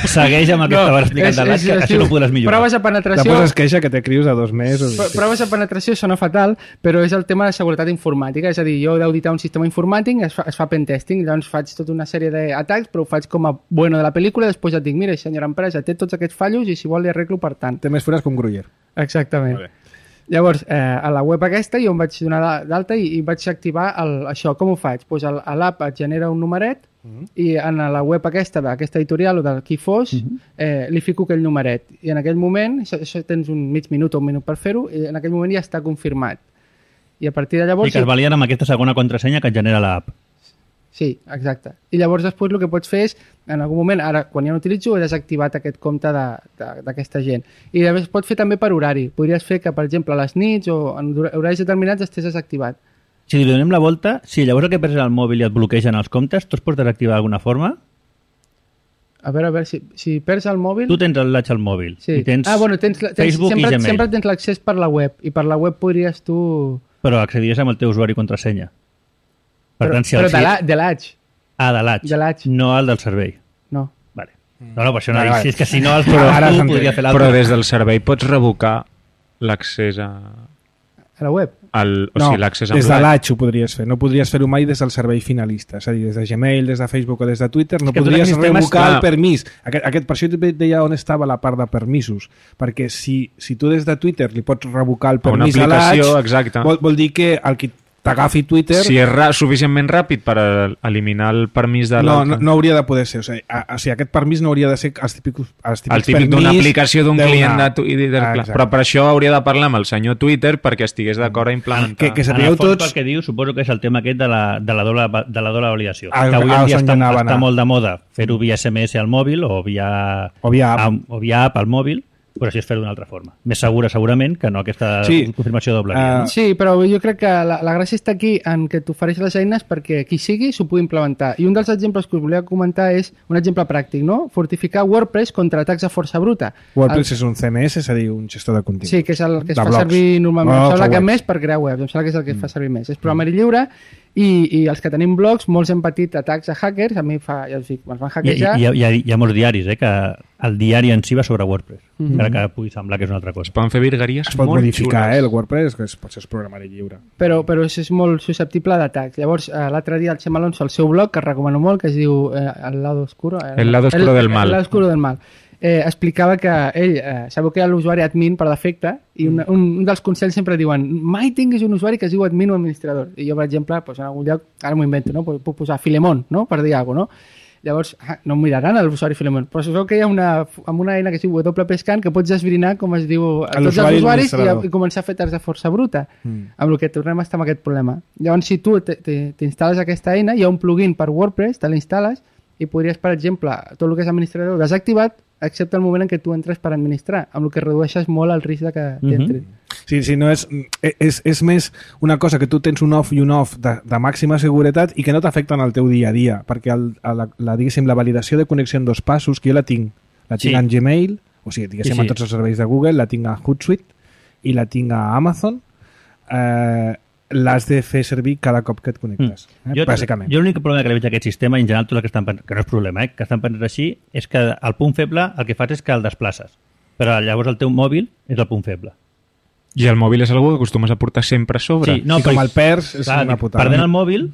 Segueix amb el que No, estaves explicant de l'H, que es així diu no podràs millorar. Proves de La penetració... poses queixa que té crius a dos mesos. Pro- Proves de penetració sona fatal, però és el tema de seguretat informàtica, és a dir, jo he d'auditar un sistema informàtic, es fa, es fa pentesting, llavors faig tota una sèrie d'atacs, però ho faig com a bueno de la pel·lícula, després et dic, mira, senyora empresa, té tots aquests fallos i si vol li arreglo per tant. Té més fures que un gruyer. Exactament. Molt bé. Llavors, eh, a la web aquesta jo em vaig donar d'a- d'alta i, i vaig activar el, això. Com ho faig? Pues el, a l'app et genera un numeret uh -huh. i en la web aquesta, d'aquesta editorial o del qui fos, uh -huh. eh, li fico aquell numeret. I en aquell moment, això, això tens un mig minut o un minut per fer-ho, i en aquell moment ja està confirmat. I a partir de llavors... I que es valien amb aquesta segona contrasenya que et genera l'app. Sí, exacte. I llavors després el que pots fer és, en algun moment, ara quan ja no utilitzo, he desactivat aquest compte de- de- d'aquesta gent. I llavors es pot fer també per horari. Podries fer que, per exemple, a les nits o en hor- horaris determinats estés desactivat. Si li donem la volta, si llavors el que perds el mòbil i et bloquegen els comptes, tu es pots desactivar d'alguna forma? A veure, a veure, si, si perds el mòbil... Tu tens el latx al mòbil Sí. i tens, ah, bueno, tens, tens Facebook sempre, i Gmail, sempre tens l'accés per la web i per la web podries tu... però accediries amb el teu usuari i contrasenya. Per però tant, si però el de la- de l'H, Ah, de l'H, de l'H. no el del servei. no. Vale. No, no, per això no Vale, dic, vale. si és que si no els Però ara tu s'entén. podria fer l'altre. Però des del servei pots revocar l'accés a... A la web. Al, o No, sigui, l'accés amb des de l'H. l'H ho podries fer. No podries fer-ho mai des del servei finalista. És a dir, des de Gmail, des de Facebook o des de Twitter, no que tots podries aquests temes, revocar clar. el permís. Aquest, aquest, per això et deia on estava la part de permisos. Perquè si, si tu des de Twitter li pots revocar el A una permís a aplicació, l'H, exacte. vol, vol dir que el que t'agafi Twitter... Si és ra suficientment ràpid per a eliminar el permís de No, l'altre. no, no hauria de poder ser. O sigui, a, o sigui, aquest permís no hauria de ser els típics, els típics El típic d'una permís aplicació d'un d'una- client de Twitter. Ah, clar. exacte. Però per això hauria de parlar amb el senyor Twitter perquè estigués d'acord a implementar. Que- que En sapigueu el fons, tots- pel que diu, suposo que és el tema aquest de la, de la, doble, de la doble validació. Ah, que avui ah, en dia on està, anava a està anar. molt de moda fer-ho via S M S al mòbil o via, O via app. a, o via app al mòbil, però així és fer-ho d'una altra forma. Més segura, segurament, que no aquesta Sí. confirmació doble. Ah, Uh, Sí, però jo crec que la, la gràcia està aquí en que t'ofereix les eines perquè qui sigui s'ho pugui implementar. I un dels exemples que us volia comentar és un exemple pràctic, no? Fortificar WordPress contra atacs de força bruta. WordPress és un C M S, és a dir, un gestor de contingut. Sí, que és el que es De fa blogs. servir normalment. Blogs Em sembla o que webs. més per crear webs, em sembla que és el que es fa servir més. És programari lliure i, i els que tenim blogs, molts hem patit atacs a hackers, a mi fa, ja us dic, me'ls van hi, hackejar. hi, hi, ha, hi ha molts diaris, eh, que el diari en si va sobre WordPress, Mhm. encara que pugui semblar que és una altra cosa. Es poden fer virgueries Es pot molt modificar, xules. eh, el WordPress, que és, pot ser es programari lliure. però, però és, és molt susceptible d'atacs. Llavors, eh, l'altre dia el Xema Alonso, al seu blog, que recomano molt, que es diu eh, El lado oscuro... Eh, El lado oscuro del mal. El lado oscuro del mal. Eh, explicava que ell, eh, sabeu que hi ha l'usuari admin per defecte, i un, un, un dels consells sempre diuen mai tinguis un usuari que es diu admin o administrador. I jo, per exemple, doncs, en algun lloc, ara m'ho invento, no? Puc, puc posar Filemón, no? Per dir alguna cosa, no? Llavors, ah, no em miraran l'usuari Filemón, però sabeu que hi ha una, amb una eina que es diu W P Scan que pots esbrinar com es diu a tots els L'usuari usuaris i, administrador. i començar a fer atacs de força bruta. Mm. Amb el que tornem a estar amb aquest problema. Llavors, si tu te- te- t'instal·les aquesta eina, hi ha un plugin per WordPress, te l'instal·les i podries, per exemple, tot el que és administrador desactivat, excepte el moment en què tu entres per administrar, amb el que redueixes molt el risc de que t'entrin. Sí, sí, no és, és, és més una cosa que tu tens un off i un off de, de màxima seguretat i que no t'afecten al teu dia a dia, perquè el, a la, la, diguéssim, la validació de connexió en dos passos, que jo la tinc, la tinc Sí. en Gmail, o sigui, diguéssim, Sí, sí. en tots els serveis de Google, la tinc a Hootsuite i la tinc a Amazon, eh, l'has de fer servir cada cop que et connectes, eh, Jo, bàsicament. jo l'únic problema que li veig a aquest sistema, i en general tots els que estan pensant, que no és problema, eh, que estan pensant així, és que el punt feble el que fas és que el desplaces. Però llavors el teu mòbil és el punt feble. I el mòbil és algú que acostumes a portar sempre a sobre. Sí, no, I com però- el perds, és clar, una putada. Perdent el mòbil,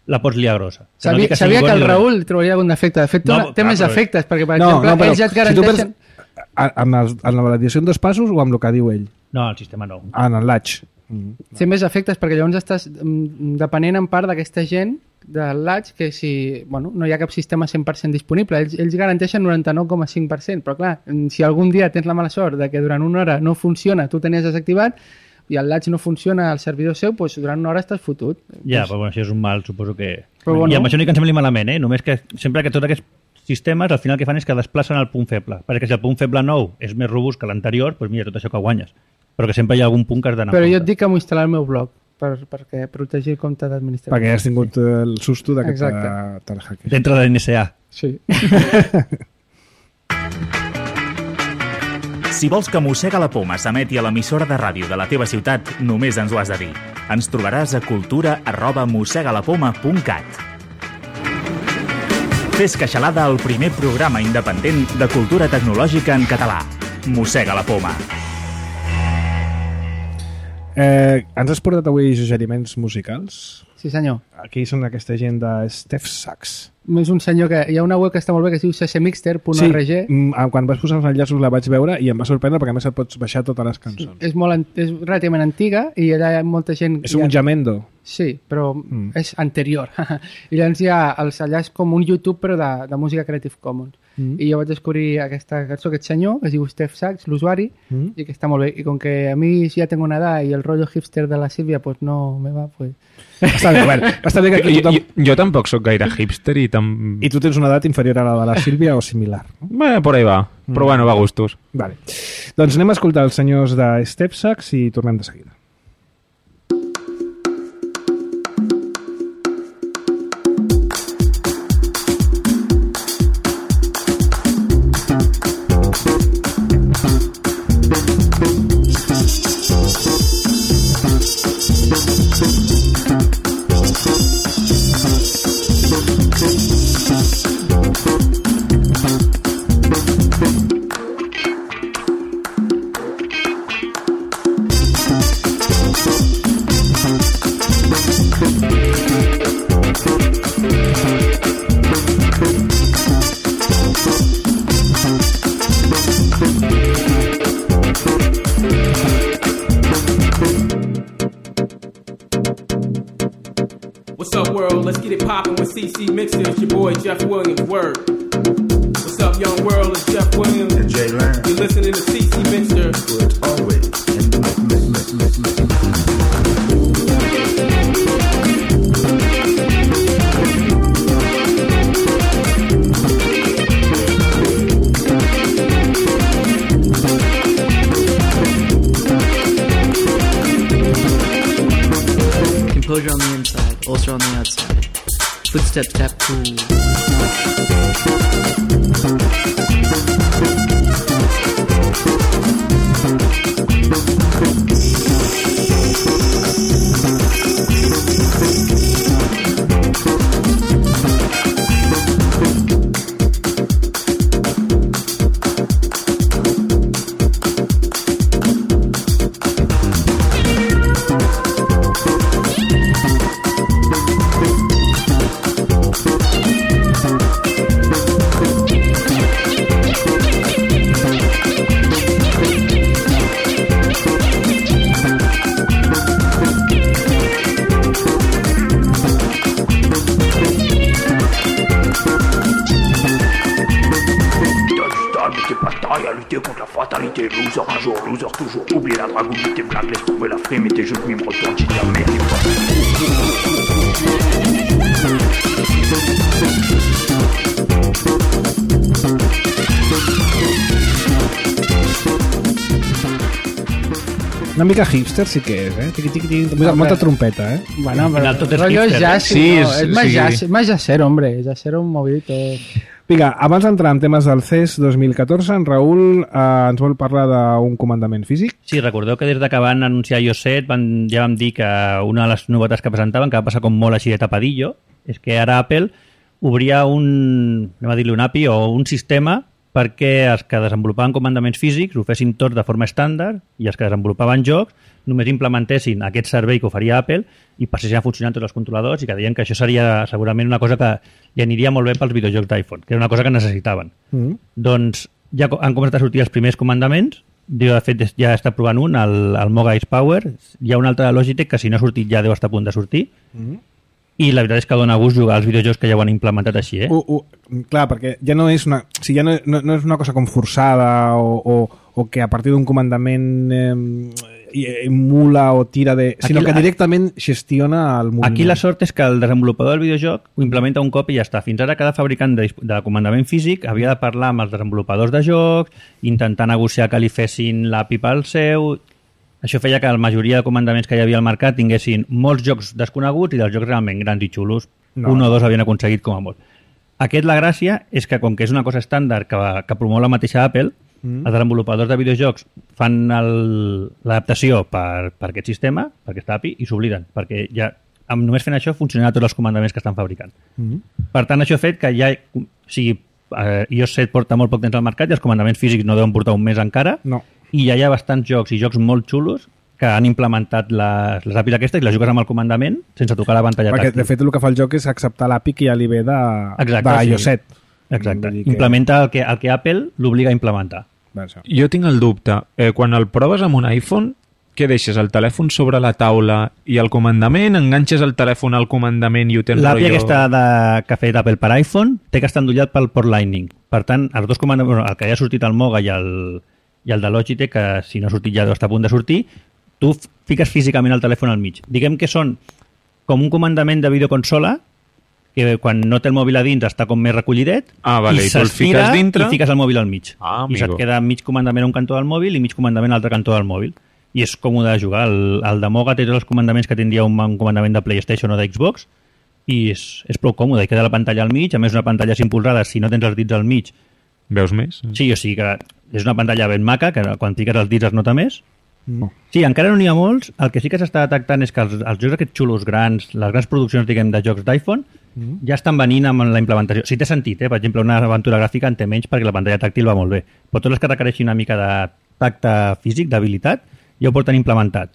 la pots liar grossa. Que no Sabia, dic que sabia sigui que bo el ni dolent. Raül trobaria algun defecte. De fet, té, No, una, té clar, més però- efectes, perquè, per No, exemple, no, però ells ja et si tu garanteixen... perds, a- amb, els, amb la validació en dos passos o amb el que diu ell? No, el sistema no. Ah, en el latch. Mm. Té més efectes perquè llavors estàs mm, depenent en part d'aquesta gent del latch que si bueno, no hi ha cap sistema cent per cent disponible, ells, ells garanteixen noranta-nou coma cinc per cent, però clar, si algun dia tens la mala sort de que durant una hora no funciona, tu tenies desactivat i el latch no funciona al servidor seu, doncs durant una hora estàs fotut. Ja, Doncs, però bueno, això és un mal, suposo que... Però bueno. I amb això no hi que em sembli malament, eh? Només que sempre que tots aquests sistemes al final el que fan és que desplacen el punt feble, perquè si el punt feble nou és més robust que l'anterior, doncs mira, tot això que guanyes. Però que sempre hi ha algun punt que has d'anar. Però jo et dic que m'ho instal·lar al meu blog, per, perquè protegir el compte d'administració. Perquè has tingut el susto de que Exacte. te'l hackers. Dintre de l'N S A. Sí. Si vols que Mossega la Poma s'emeti a l'emissora de ràdio de la teva ciutat, només ens ho has de dir. Ens trobaràs a cultura arroba mossegalapoma punt cat. Fes Queixalada, el primer programa independent de cultura tecnològica en català. Mossega la Poma. Eh, ens has portat avui suggeriments musicals? Sí, senyor. Aquí són aquesta gent de Steph Sachs. És un senyor que... Hi ha una web que està molt bé que es diu ccmixter punt org. Sí, mm, quan vas posar els enllaços la vaig veure i em va sorprendre perquè a més et pots baixar totes les cançons. És, molt, an- és relativament antiga i allà hi ha molta gent... És un jamendo. Sí, però Mm. és anterior. I llavors hi ha els, allà és com un YouTube però de, de música Creative Commons. Mm. I jo vaig descobrir aquesta cançó, aquest senyor, que es diu Steph Sachs, l'usuari, Mm. i que està molt bé. I com que a mi ja tengo una edad i el rotllo hipster de la Sílvia pues no me va, pues... Està bé, bueno, està bé que aquí Jo, tothom... jo, jo tampoc sóc gaire hipster i tam... I tu tens una edat inferior a la de la Sílvia o similar. No? Bé, por ahí va. Però bueno, va a gustos. Vale. Doncs anem a escoltar els senyors de Steph Sachs i tornem de seguida. What's up, world? Let's get it poppin' with C C Mixer. It's your boy Jeff Williams. Word. What's up, young world? It's Jeff Williams. And Jay Lamb. You're listening to C C Mixer. Where it's always in the mix, mix, mix, mix, mix. Composure on the inside, ulcer on the outside. Footstep tap cool. Lutter contre la fatalité, loser un jour, loser toujours. Oubliez la drague, oubliez tes blagues, laisse tomber la frime et tes jeux de mime, retourne, tu dis merde et Una mica hipster sí que és, eh? Tiqui, tiqui, tiqui, molta, molta trompeta, eh? Bueno, pero final tot és rollo hipster, jazz, eh? sí, Sí, no, és- es más sí. jazz, más jazzero, hombre, jazzero un movidito. Vinga, abans d'entrar en temes del C E S dos mil catorze, en Raül eh, ens vol parlar d'un comandament físic. Sí, recordeu que des de que van anunciar iOS set van, ja vam dir que una de les novetats que presentaven, que va passar com molt així de tapadillo, és que ara Apple obria un, anem a dir-li un A P I o un sistema perquè els que desenvolupaven comandaments físics ho fessin tots de forma estàndard i els que desenvolupaven jocs només implementessin aquest servei que oferia Apple i passessin a funcionar en tots els controladors i que deien que això seria segurament una cosa que li aniria molt bé pels videojocs d'iPhone, que era una cosa que necessitaven. Mm. Doncs ja co- han començat a sortir els primers comandaments. Jo, de fet, ja està provant un, el, el Moga Ice Power. Hi ha un altre de Logitech que si no ha sortit ja deu estar a punt de sortir. Mm. I la veritat és que dona gust jugar als videojocs que ja ho han implementat així, eh? Uh, uh, clar, perquè ja no és una, o sigui, ja no, no, no és una cosa com forçada o, o, o que a partir d'un comandament eh, emula o tira de... sinó Aquí que la- directament gestiona el moviment. Aquí la sort és que el desenvolupador del videojoc ho implementa un cop i ja està. Fins ara cada fabricant de, de comandament físic havia de parlar amb els desenvolupadors de jocs, intentar negociar que li fessin l'A P I pel seu... Això feia que la majoria de comandaments que hi havia al mercat tinguessin molts jocs desconeguts i dels jocs realment grans i xulos. No. Un o dos havien aconseguit com a molt. Aquest, la gràcia, és que com que és una cosa estàndard que, que promou la mateixa Apple, mm. els desenvolupadors de videojocs fan el- l'adaptació per, per aquest sistema, per aquesta A P I, i s'obliden, perquè ja amb només fent això funcionaran tots els comandaments que estan fabricant. Mm. Per tant, això ha fet que ja... O sigui, eh, i o ess set porta molt poc temps al mercat i els comandaments físics no deuen portar un mes encara, No. i ja hi ha bastants jocs i jocs molt xulos que han implementat les, les A P Is aquestes i les jugues amb el comandament sense tocar la pantalla Perquè, tàctil. de fet, el que fa el joc és acceptar l'A P I que ja li ve de, Exacte, de i o ess sí. set. Exacte. Vull dir que- Implementa el que, el que Apple l'obliga a implementar. Va, això. Jo tinc el dubte. Eh, quan el proves amb un iPhone, què deixes? El telèfon sobre la taula i el comandament? Enganxes el telèfon al comandament i ho tens L'A P I rotllo- aquesta de, que ha fet Apple per iPhone té que estar endollat pel port Lightning. Per tant, els dos comandaments, bueno, el que ja ha sortit al Moga i el, i el de Logitech, que si no ha sortit ja deu estar a punt de sortir, tu f- fiques físicament el telèfon al mig. Diguem que són com un comandament de videoconsola que quan no té el mòbil a dins està com més recollidet Ah, vale, i tu el s'estira fiques dintre? i fiques el mòbil al mig. Ah, I se't amigo. queda mig comandament a un cantó del mòbil i mig comandament a l'altre cantó del mòbil. I és còmode de jugar. El, el de Moga té tots els comandaments que tindria un, un comandament de PlayStation o d'Xbox i és, és prou còmode. I queda la pantalla al mig, a més una pantalla cinc polzades, si no tens els dits al mig. Veus més? Sí, o sigui que és una pantalla ben maca, que quan fiques els dits es nota més. No. Sí, encara no n'hi ha molts. El que sí que s'està detectant és que els, els jocs aquests xulos grans, les grans produccions, diguem, de jocs d'iPhone, mm. ja estan venint amb la implementació. Sí, té sentit, eh? Per exemple, una aventura gràfica en té menys perquè la pantalla tàctil va molt bé. Però tots els que requereixin una mica de tacte físic, d'habilitat, ja ho porten implementat.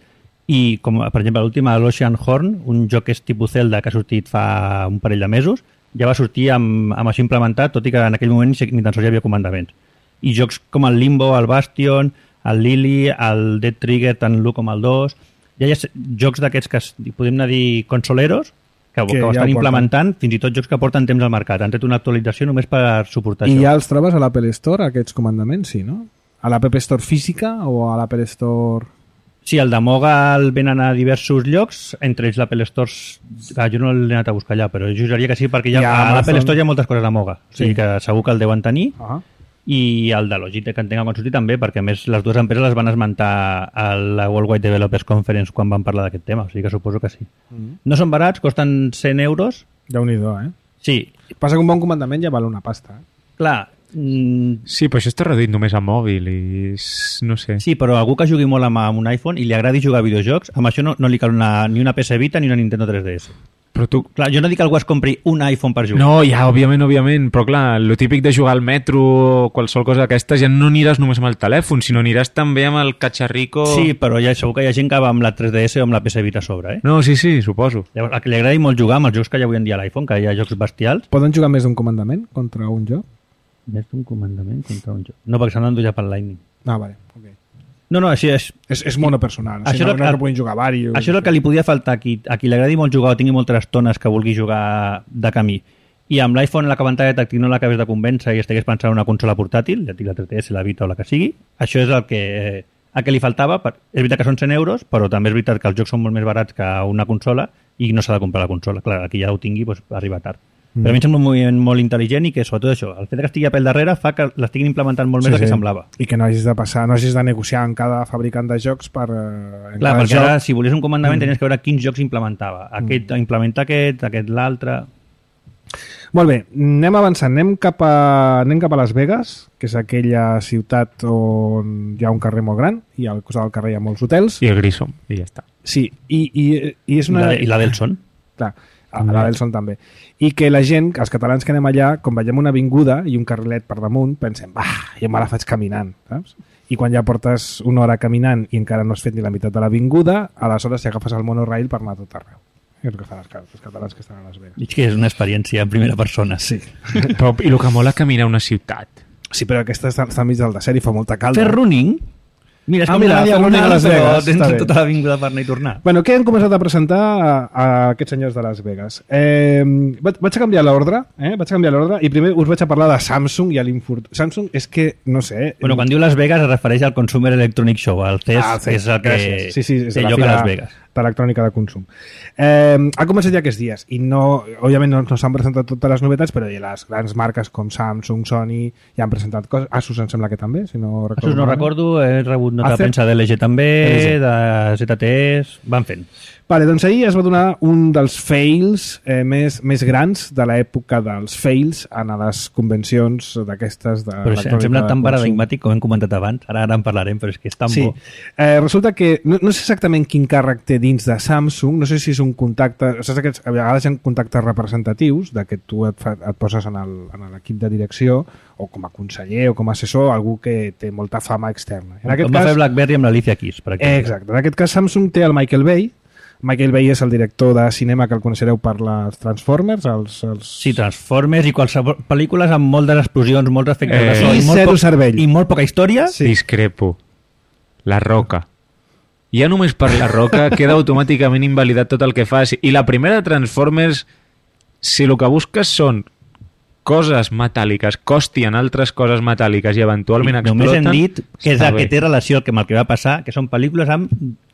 I, com per exemple, l'última, l'Ocean Horn, un joc que és tipus Zelda que ha sortit fa un parell de mesos, ja va sortir amb, amb això implementat, tot i que en aquell moment ni tan sols hi havia comandaments. I jocs com el Limbo, el Bastion, el Lily, el Dead Trigger, tant l'u com el dos, ja hi ha jocs d'aquests que es, podem anar a dir consoleros, que, Que que ho ja estan ho porten. implementant, fins i tot jocs que porten temps al mercat. Han tret una actualització només per suportar I això. ja els trobes a l'Apple Store, aquests comandaments, sí, no? A l'App Store física o a l'Apple Store... Sí, el de Moga el venen a diversos llocs, entre ells l'Apple Store, ah, jo no l'he anat a buscar allà, però jo juraria que sí, perquè ja, Ja, a l'Apple Amazon. Store hi ha moltes coses de Moga, o sigui Sí. que segur que el deuen tenir, Ah. i el de Logitech que en tenga quan sortir també, perquè a més les dues empreses les van esmentar a la World Wide Developers Conference quan van parlar d'aquest tema, o sigui que suposo que sí. Mm. No són barats, costen cent euros. Déu-n'hi-do, eh? Sí, Passa que un bon comandament ja val una pasta, eh? clar, mm, Sí, però això està reduït només a mòbil i... és- no sé. sí, però algú que jugui molt amb, amb un iPhone i li agradi jugar a videojocs, amb això no, no li cal una, ni una P S Vita ni una Nintendo tres D S. Però tu... Clar, jo no dic que algú es compri un iPhone per jugar. No, ja, òbviament, òbviament, però clar, lo típic de jugar al metro o qualsevol cosa d'aquestes ja no aniràs només amb el telèfon, sinó aniràs també amb el catxarrico... Sí, però ja segur que hi ha gent que va amb la tres D S o amb la P S Vita a sobre, eh? No, sí, sí, suposo. Llavors, a que li agradi molt jugar amb els jocs que hi ha avui en dia a l'iPhone, que hi ha jocs bestials. Poden jugar més d'un comandament contra un joc? Més d'un comandament contra un joc. No, perquè s'han d'endollar pel Lightning. Ah, vale, ok. No, no, així és... És, és monopersonal, o sigui, Això no, és no, el- no puguin jugar diversos. Això és el que li podia faltar a qui, a qui li agradi molt jugar o tingui moltes estones que vulgui jugar de camí. I amb l'iPhone la pantalla tàctil no l'acabés de convèncer i estigués pensant en una consola portàtil, ja et dic la tres D S, la Vita o la que sigui, això és el que, el que li faltava. Per... És veritat que són cent euros, però també és veritat que els jocs són molt més barats que una consola i no s'ha de comprar la consola. Clar, aquí ja ho tingui, doncs arriba tard. Mm. Però a mi em sembla un moviment molt intel·ligent i que, sobretot això, el fet que estigui Apple darrere fa que l'estiguin implementant molt més del que semblava. I que no hagis de passar, no hagis de negociar amb cada fabricant de jocs per... Eh, en Clar, cada perquè joc. ara, si volies un comandament, Mm. tenies que veure quins jocs implementava. Aquest, mm. implementa aquest, aquest l'altre... Molt bé, anem avançant, anem cap, a, anem cap a Las Vegas, que és aquella ciutat on hi ha un carrer molt gran i al costat del carrer hi ha molts hotels. I el Grissom, i ja està. Sí, i, i, i és una... I la, i la Delson. Clar, a la Delson també. I que la gent, els catalans que anem allà, quan veiem una avinguda i un carrilet per damunt, pensem, bah, jo me la faig caminant, saps? I quan ja portes una hora caminant i encara no has fet ni la meitat de l'avinguda, aleshores si agafes el monorail per anar a tot arreu. És el que fan els, els catalans que estan a Las Vegas. Dic que és una experiència en primera persona. Sí. Però, I el que mola caminar a una ciutat. Sí, però aquesta està, està enmig del desert i fa molta calda. Fer running? Mira, és Ah, com mira, una fer l'únic a diagonal, Las però Vegas, tens està bé. tota l'avinguda per anar i tornar. Bueno, què han començat a presentar a, a aquests senyors de Las Vegas? Eh, vaig, vaig a canviar l'ordre, eh? vaig a canviar l'ordre i primer us vaig a parlar de Samsung i a l'infort... Samsung és que, no sé... Bueno, quan diu Las Vegas es refereix al Consumer Electronic Show, al C E S, Ah, que és el que gràcies. Sí, sí, és té la lloc a fira Las Vegas. d'electrònica de consum. Eh, ha començat ja aquests dies i no, òbviament no, no s'han presentat totes les novetats, però ja les grans marques com Samsung, Sony ja han presentat coses. Asus em sembla que també, si no recordo. Asus no malament. recordo, he rebut nota de Acer? premsa de L G també, L G. de Z T E, van fent. Vale, doncs ahir es va donar un dels fails eh, més, més grans de l'època dels fails en les convencions d'aquestes de Però em sembla tan paradigmàtic com hem comentat abans, ara ara en parlarem, però és que és tan Sí, bo. eh, resulta que no, no sé exactament quin càrrec té dins de Samsung, no sé si és un contacte, saps aquests, a vegades hi ha contactes representatius de que tu et, fa, et poses en el- en l'equip de direcció o com a conseller o com a assessor, algú que té molta fama externa. En aquest Com va cas, fer BlackBerry amb l'Alicia Keys, per exemple. exacte, en aquest cas Samsung té el Michael Bay. Michael Bay és el director de cinema que el coneixereu per les Transformers, els, els... Sí, Transformers i qualsevol pel·lícules amb moltes explosions, molts efectes Eh, de so i molt zero poc- cervell. i molt poca història. Sí. Discrepo. La Roca. Ja només per La Roca queda automàticament invalidat tot el que fas. I la primera de Transformers, si el que busques són coses metàl·liques, costien altres coses metàl·liques i eventualment I només exploten... hem dit que és està el que bé. té relació amb el que va passar, que són pel·lícules amb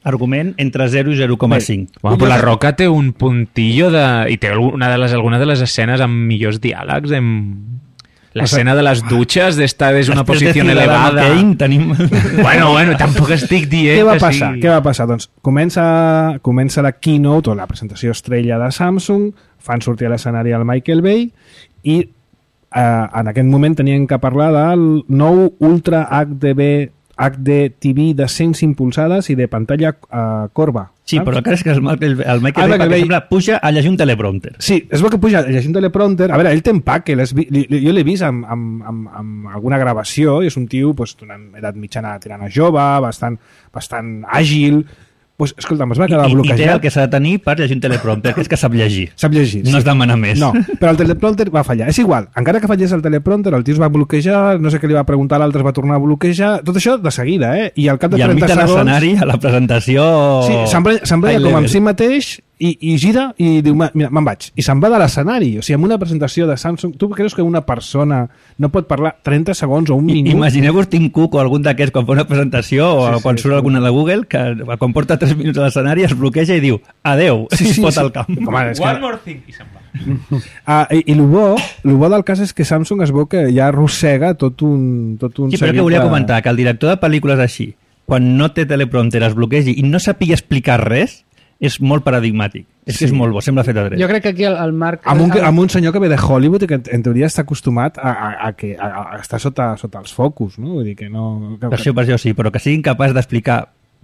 argument entre zero i zero coma cinc. Bueno, però La Roca té un puntillo de... i té una de les, alguna de les escenes amb millors diàlegs, amb... L'escena de les dutxes d'estar des d'una Després de posició Ciudadano elevada. Kane tenim... Bueno, bueno, tampoc estic dient Què va que passar? sí. Què va passar? Doncs comença, comença la keynote o la presentació estrella de Samsung, fan sortir a l'escenari el Michael Bay i eh, en aquest moment tenien que parlar del nou Ultra H D B H D T V de cent cinc polzades i de pantalla eh, corba. Sí, saps? però el cas és que el Michael, el Ah, Michael Bay, Michael perquè Bay- sembla, puja a llegir un teleprompter. Sí, es veu que puja llegint teleprompter. A veure, ell té empaque, l'has vi- li, li, jo l'he vist amb, amb, amb, amb alguna gravació i és un tio pues, d'una edat mitjana tirant a jove, bastant, bastant àgil. Pues, escolta'm, es va I, quedar i, I té el bloquejat. que s'ha de tenir per llegir un teleprompter, que és que sap llegir. Sap llegir. No sí. es demana més. No, però el teleprompter va fallar. És igual, encara que fallés el teleprompter, el tio es va bloquejar, no sé què li va preguntar, l'altre es va tornar a bloquejar, tot això de seguida, eh? I al cap de I al mig trenta de segons... l'escenari, a la presentació... Sí, s'embrenya s'embrenya high com amb level. si mateix i, i gira i diu, "Ma- mira, me'n vaig. I se'n va de l'escenari. O sigui, amb una presentació de Samsung, tu creus que una persona no pot parlar trenta segons o un I, minut? imagineu-vos Tim Cook o algun d'aquests quan fa una presentació o Sí, sí, quan sí, surt sí. alguna de Google que quan porta tres minuts a l'escenari es bloqueja i diu adeu, Sí, i sí, es pot sí. al camp. Home, és que... One more thing. I se'n va. Ah, i, i el bo, el bo del cas és que Samsung es veu que ja arrossega tot un, tot un Sí, però seguit que volia de- comentar que el director de pel·lícules així, quan no té teleprompter es bloquegi i no sàpiga explicar res, és molt paradigmàtic. És Sí. que és molt bo, sembla fet adret. Jo crec que aquí el, el Marc... Amb un, el- amb un senyor que ve de Hollywood i que en, en teoria està acostumat a, a, a, que, a, a estar sota, sota els focus, no? Vull dir que no... Que, Per això, per això sí, però que siguin capaç d'explicar,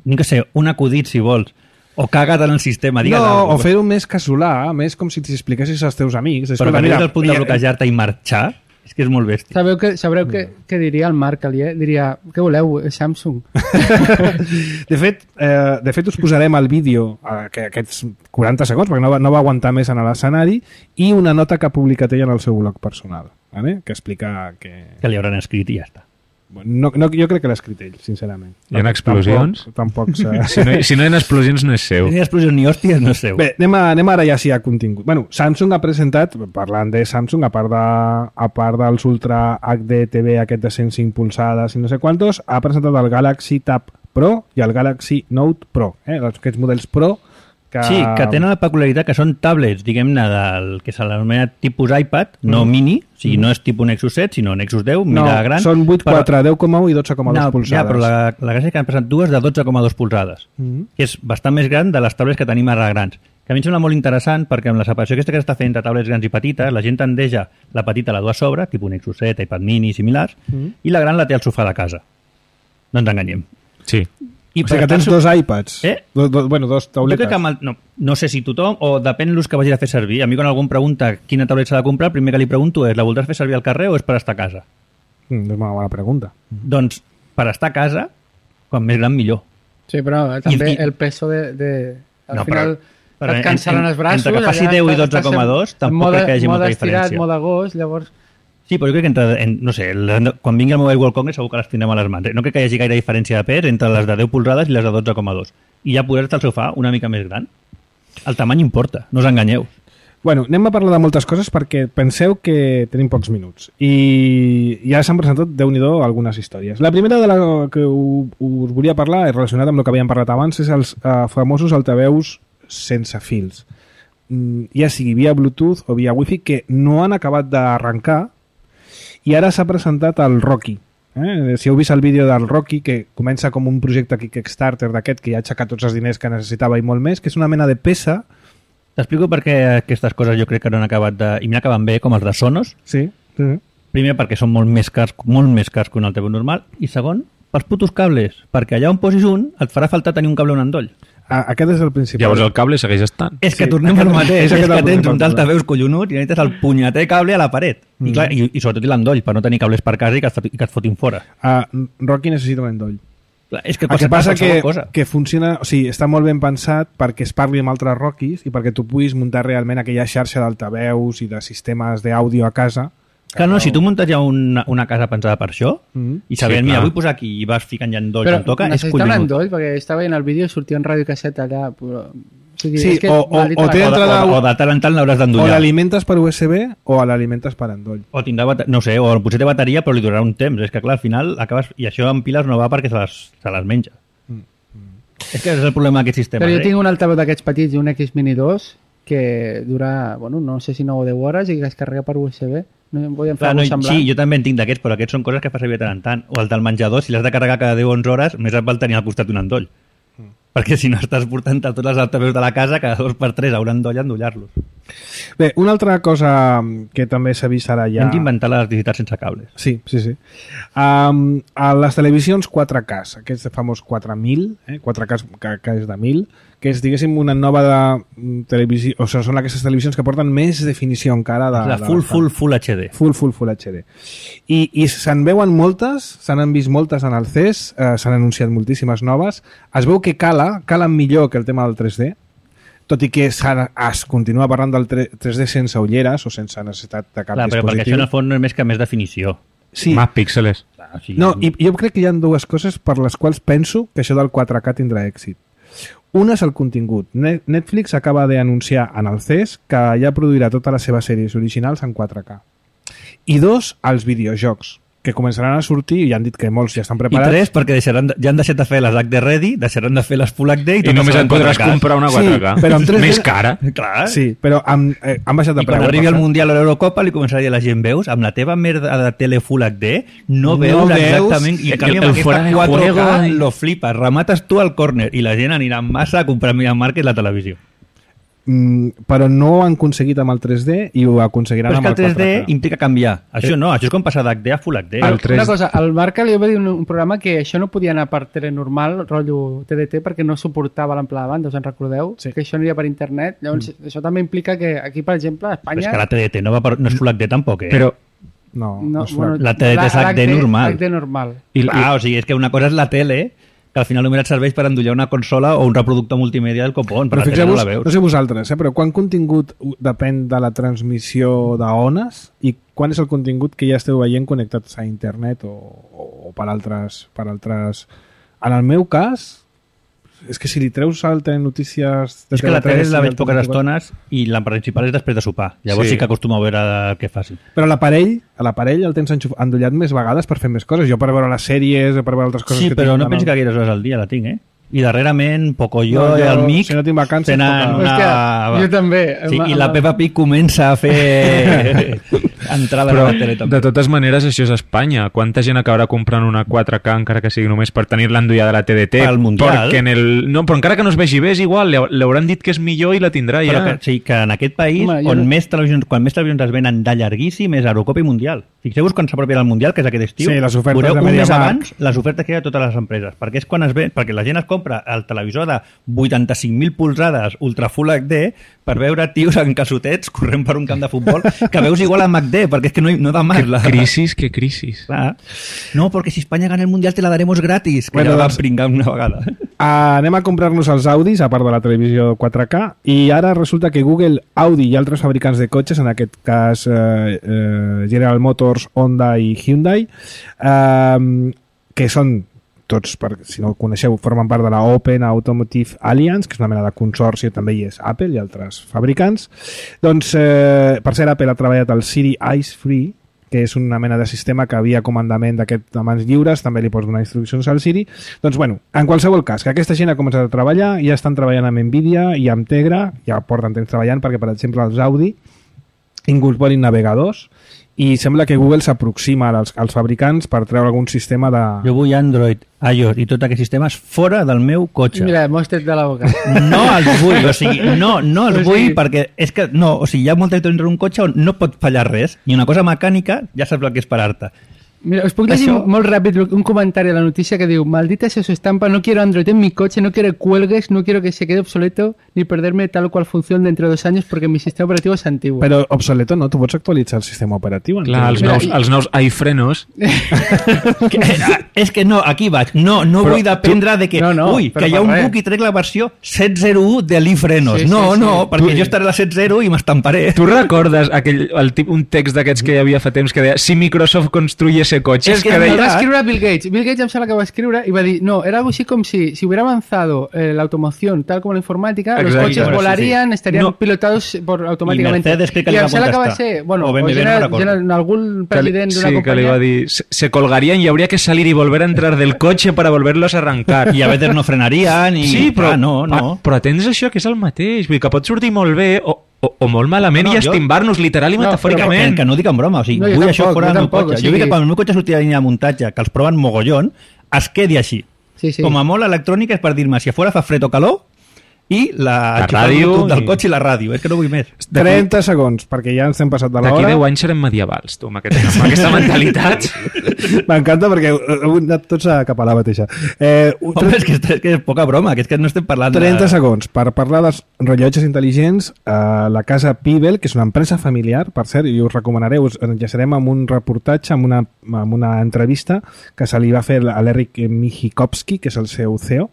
no que sé, un acudit si vols, o caga't en el sistema, digues no, alguna o fer-ho més casolà, més com si t'expliquessis als teus amics. Però Escolta, que mira, arribis al punt de mira, bloquejar-te i marxar, és que és molt bèstia. Sabeu que, sabreu què, què diria el Marc Alier? Diria, què voleu, Samsung? De fet, eh, de fet us posarem el vídeo eh, que aquests quaranta segons, perquè no va, no va aguantar més en l'escenari, i una nota que ha publicat ell en el seu blog personal, vale? Que explica que... Que li hauran escrit i ja està. No, no, jo crec que l'ha escrit ell, sincerament. Hi ha explosions? Tampoc, tampoc s'ha- Si no, si no hi ha explosions, no és seu. Ni explosions ni hòsties no és seu. Bé, anem, a, anem ara ja sí a contingut. Bueno, Samsung ha presentat, parlant de Samsung, a part, de, a part dels Ultra H D T V aquest de cent cinc polzades i no sé quantos, ha presentat el Galaxy Tab Pro i el Galaxy Note Pro, eh? aquests models Pro que... Sí, que tenen la peculiaritat que són tablets, diguem-ne, del que se l'anomena tipus iPad, no Mm. mini, o sigui, no és tipus Nexus set, sinó Nexus deu, No, mida gran. són vuit coma quatre, deu coma u i dotze coma dos no, polzades. Ja, però la, la gràcia és que han presentat dues de dotze coma dos polzades, Mhm. que és bastant més gran de les tablets que tenim ara grans. Que a mi em sembla molt interessant perquè amb la separació aquesta que s'està fent entre tablets grans i petites, la gent tendeja la petita la dur a sobre, tipus Nexus set, iPad mini i similars, Mhm. i la gran la té al sofà de casa. No ens enganyem. Sí. I O sigui que per tens tant, dos iPads. Eh? Do, do, bueno, dos jo tauletes. crec que amb el, no, no sé si tothom, o depèn l'ús que vagis a fer servir. A mi quan algú em pregunta quina tauleta s'ha de comprar, el primer que li pregunto és, la voldràs fer servir al carrer o és per estar a casa? Mm, és una bona pregunta. Doncs per estar a casa, quan més gran millor. Sí, però també I- i- el peso de... de al No, final però- però et cansaran en- els braços. entre que faci allà deu i estàs- dotze coma dos, estàs en tampoc mode- crec que hi hagi molta mode estirat, diferència. mode gos, llavors... Sí, però jo crec que entre, en, no sé, el, quan vingui el Mobile World Congress segur que les tindrem a les mans. No crec que hi hagi gaire diferència de pes entre les de deu polzades i les de dotze coma dos. I ja poder estar al sofà una mica més gran. El tamany importa, no us enganyeu. Bueno, anem a parlar de moltes coses perquè penseu que tenim pocs minuts. I ja s'han presentat, Déu-n'hi-do, algunes històries. La primera de la que us volia parlar, és relacionada amb el que havíem parlat abans, és els uh, famosos altaveus sense fils. Mm, ja sigui via Bluetooth o via Wi-Fi, que no han acabat d'arrencar. I ara s'ha presentat el Rocky. Eh? Si heu vist el vídeo del Rocky, que comença com un projecte Kickstarter d'aquest, que ja ha aixecat tots els diners que necessitava i molt més, que és una mena de peça. T'explico per què aquestes coses jo crec que no han acabat de... I m'acaben bé, com els de Sonos. Sí. sí. Primer, perquè són molt més cars, molt més cars que un altaveu normal. I segon, pels putos cables. Perquè allà on posis un, et farà falta tenir un cable o un endoll. Ah, aquest és el principal. Llavors el cable segueix estant. És que Sí, tornem al mateix, és, és que tens un d'altaveus collonut i necessites el punyeter cable a la paret. Mm. I, clar, i, I sobretot l'endoll, per no tenir cables per casa i que, et, i que et fotin fora. Uh, Rocky necessita un endoll. Clar, és que El que passa que, cosa. que funciona, o sigui, està molt ben pensat perquè es parli amb altres Rockies i perquè tu puguis muntar realment aquella xarxa d'altaveus i de sistemes d'àudio a casa. Clar, no, si tu muntes ja una, una casa pensada per això Mm. i sabent, Sí, mira, clar. vull posar aquí i vas ficant ja endolls Però on toca, és necessita un collonut. endoll, perquè estava veient el vídeo i sortia un radiocasset allà. Però... O sigui, Sí, és que o- o- m'ha dit o una té cosa. entrada- O, o de tant en tant l'hauràs O d'endollar. l'alimentes per U S B o l'alimentes per endoll. O tindrà, bata- no sé, o potser té bateria però li durarà un temps. És que clar, al final acabes... I això amb piles no va perquè se les, se les menja. És que és el problema d'aquest sistema. Però jo eh? tinc un altaveu d'aquests petits i un X Mini dos que dura, bueno, no sé si nou o deu hores i que es carrega per U S B. No em podien fer Clar, no, alguna cosa sí, semblant. jo també en tinc d'aquests, però aquests són coses que fa servir de tant en tant. O el del menjador, si l'has de carregar cada deu o onze hores, més et val tenir al costat un endoll. Mm. Perquè si no estàs portant a tots els altaveus de la casa, cada dos per tres haurà endoll a endollar-los. Bé, una altra cosa que també s'ha vist ara ja... Ja. Hem d'inventar l'electricitat sense cables. Sí, sí, sí. Um, a les televisions quatre K, aquest famós quatre mil, eh? quatre K que, que és de mil, que és, diguéssim, una nova de mm, televisió... O sigui, són aquestes televisions que porten més definició encara de... La de full, les- full, full H D. Full, full, full H D. I, i se'n veuen moltes, se n'han vist moltes en el C E S, eh, s'han anunciat moltíssimes noves. Es veu que cala, calen millor que el tema del tres D, tot i que s'ha- es continua parlant del tre- tres D sense ulleres o sense necessitat de cap Clar, però perquè això dispositiu. en el fons no és més que més definició. Sí. Más píxeles. Clar, o sigui, No, i jo crec que hi ha dues coses per les quals penso que això del quatre K tindrà èxit. Una és el contingut. Ne- Netflix acaba d'anunciar en el C E S que ja produirà totes les seves sèries originals en quatre K. I dos, els videojocs, que començaran a sortir i ja han dit que molts ja estan I preparats. tres, perquè deixaran, de- ja han deixat de fer les H D Ready, deixaran de fer les Full H D i, I totes només seran et podràs quatre K. comprar una Sí, quatre K. però amb tres D Més cara. Clar. Sí, però amb, eh, han baixat de I quan preu. arribi per el cert. Mundial o l'Eurocopa li començarà a dir a la gent, veus, amb la teva merda de tele Full H D no No veus veus exactament i en el- canvi amb el aquesta fuera de quatre K juego. lo flipes, remates tu al córner i la gent anirà en massa a comprar Media Market la televisió. Mm, però no ho han aconseguit amb el tres D i ho aconseguiran Però és amb que el el tres D quatre K. implica canviar. Això no, això és com passar d'H D a Full H D. El tres- Una cosa, al Marca li va dir un, un programa que això no podia anar per tele normal, rotllo T D T, perquè no suportava l'ample de banda, us en recordeu? Sí. Que això aniria per internet. Llavors, mm. això també implica que aquí, per exemple, a Però Espanya... és que la T D T no, va per, no és Full H D tampoc, eh? Però No, no, no, és bueno, La T D T és H D normal. H D normal. I, Ah, o sigui, és que una cosa és la tele, que al final només et serveix per endollar una consola o un reproductor multimèdia del copón, però Però la tele no fixeu-vos, la veus. no sé vosaltres, eh, però quan contingut uh, depèn de la transmissió d'ones i quan és el contingut que ja esteu veient connectats a internet o, o, o per altres per altres... En el meu cas, és que si li treus al telenotícies... de És que la T V tres tele la i veig del poques T V quatre, estones i la principal és després de sopar. Llavors Sí. sí, que acostumo a veure el que faci. Però l'aparell, a l'aparell el tens enxuf- endollat més vegades per fer més coses. Jo per veure les sèries, per veure altres coses Sí, que però tinc no en pensi el- que gaires hores al dia la tinc, eh? I darrerament, Pocoyo No, i jo, el Mic si no tinc vacances, tenen poca- una... Hòstia, jo també. Sí, Amb- i la amb- Peppa Pig comença a fer entrada però a la tele també. de totes maneres això és Espanya. Quanta gent acabarà comprant una quatre K encara que sigui només per tenir-la endollada a la T D T? Pel Mundial. Perquè en el... No, però encara que no es vegi bé és igual. li- Li hauran dit que és millor i la tindrà Però ja. que, sí, que en aquest país, Home, jo on no- més televisions, quan més televisions es venen de llarguíssim és Eurocopa i Mundial. Fixeu-vos quan s'apropia el Mundial, que és aquest estiu, Sí, les ofertes veureu de un mes MediaMarkt. abans les ofertes que hi ha a totes les empreses, perquè és quan es ve, perquè la gent es compra el televisor de vuitanta-cinc mil polzades Ultra Full H D per veure tios en calçotets corrent per un camp de futbol, que veus igual a H D, perquè és que no, no da más. Qué la... crisis, qué crisis. Clar. No, porque si España gana el Mundial te la daremos gratis, que Bueno, ja la doncs- van pringar una vegada. Uh, anem a comprar-nos els Audis, a part de la televisió quatre K, i ara resulta que Google, Audi i altres fabricants de cotxes, en aquest cas eh, eh, General Motors, Honda i Hyundai, eh, que són tots, per, si no ho coneixeu, formen part de la Open Automotive Alliance, que és una mena de consorci, també hi és Apple i altres fabricants. Doncs, eh, per ser Apple ha treballat el Siri Eyes Free, que és una mena de sistema que havia comandament d'aquest de mans lliures, també li pots donar instruccions al Siri. Doncs, bueno, en qualsevol cas, que aquesta gent ha començat a treballar, ja estan treballant amb Nvidia i amb Tegra, ja porten temps treballant perquè, per exemple, els Audi incorporin navegadors, i sembla que Google s'aproxima als, als fabricants per treure algun sistema de... Jo vull Android, iOS i tot aquests sistemes fora del meu cotxe. Mira, m'ho has tret de la boca. No els vull, o sigui, no, no els O vull sigui- perquè és que, no, o sigui, hi ha molta gent en un cotxe on no pot fallar res, i una cosa mecànica ja saps el que és parar-te. Mira, us puc llegir Això- molt ràpid un comentari a la noticia que diu: maldita sea su estampa, no quiero Android en mi coche, no quiero cuelgues, no quiero que se quede obsoleto ni perderme tal o cual función dentro de dos años porque mi sistema operativo es antiguo. Però obsoleto no, tu pots actualitzar el sistema operatiu. Clar, els Mira, nous, i- els nous iFrenos. Que, eh, és que no, aquí vaig. No, no Però vull dependre de que, No, no, ui, però que hi ha per un res. bug i trec la versió set zero u de l'Ifrenos. Sí, sí, no, sí. no, perquè Tu- jo estaré a la set zero i m'estamparé. Tu recordes aquell, el tip, un text d'aquests que hi havia fa temps que deia si Microsoft construyese cotxes? És que que és deia, El va Clar. escriure Bill Gates. Bill Gates em sembla que va escriure y va a decir, no, era algo así como si, si hubiera avanzado eh, la automoción tal como la informática, los Exacto. coches Bueno, sí, volarían, estarían No. pilotados por automáticamente. I Mercedes crec que li I va em sembla que va contestar. ser, bueno, O o, B M W, no general, recordo. general, algún que li- president d'una sí, que li va companyia. dir se, se colgarían y habría que salir y volver a entrar del coche para volverlos a arrancar. I a veces no frenarien i... Sí, però, Ah, no, no. ah, però atens això, que és el mateix. Vull dir que pot sortir molt bé o, o, o molt malament No, i jo- estimbar-nos literal i No, però Que, metafòricament. que no ho dic en broma, o sigui, No, jo vull tampoc, això fora jo del meu tampoc, cotxe. o Jo sigui- vull que quan el meu cotxe surti de línia de muntatge, que els proven mogollon, es quedi així. Sí, sí. Com a molt electrònica és per dir-me si a fora fa fred o calor i la, La enxufar el ràdio Bluetooth del i- cotxe i la ràdio. És que no vull més. trenta segons, perquè ja ens hem passat de D'aquí l'hora. deu anys serem medievals, tu, amb, aquest, amb aquesta mentalitat. M'encanta perquè heu anat tots a cap a la mateixa. Eh, un- Home, és que, és que és poca broma, que és que no estem parlant trenta de... segons per parlar dels rellotges intel·ligents. eh, la casa Pibel, que és una empresa familiar, per cert, i us recomanaré, us enllaçarem amb un reportatge, amb una, amb una entrevista que se li va fer a l'Eric Michikowski, que és el seu C E O.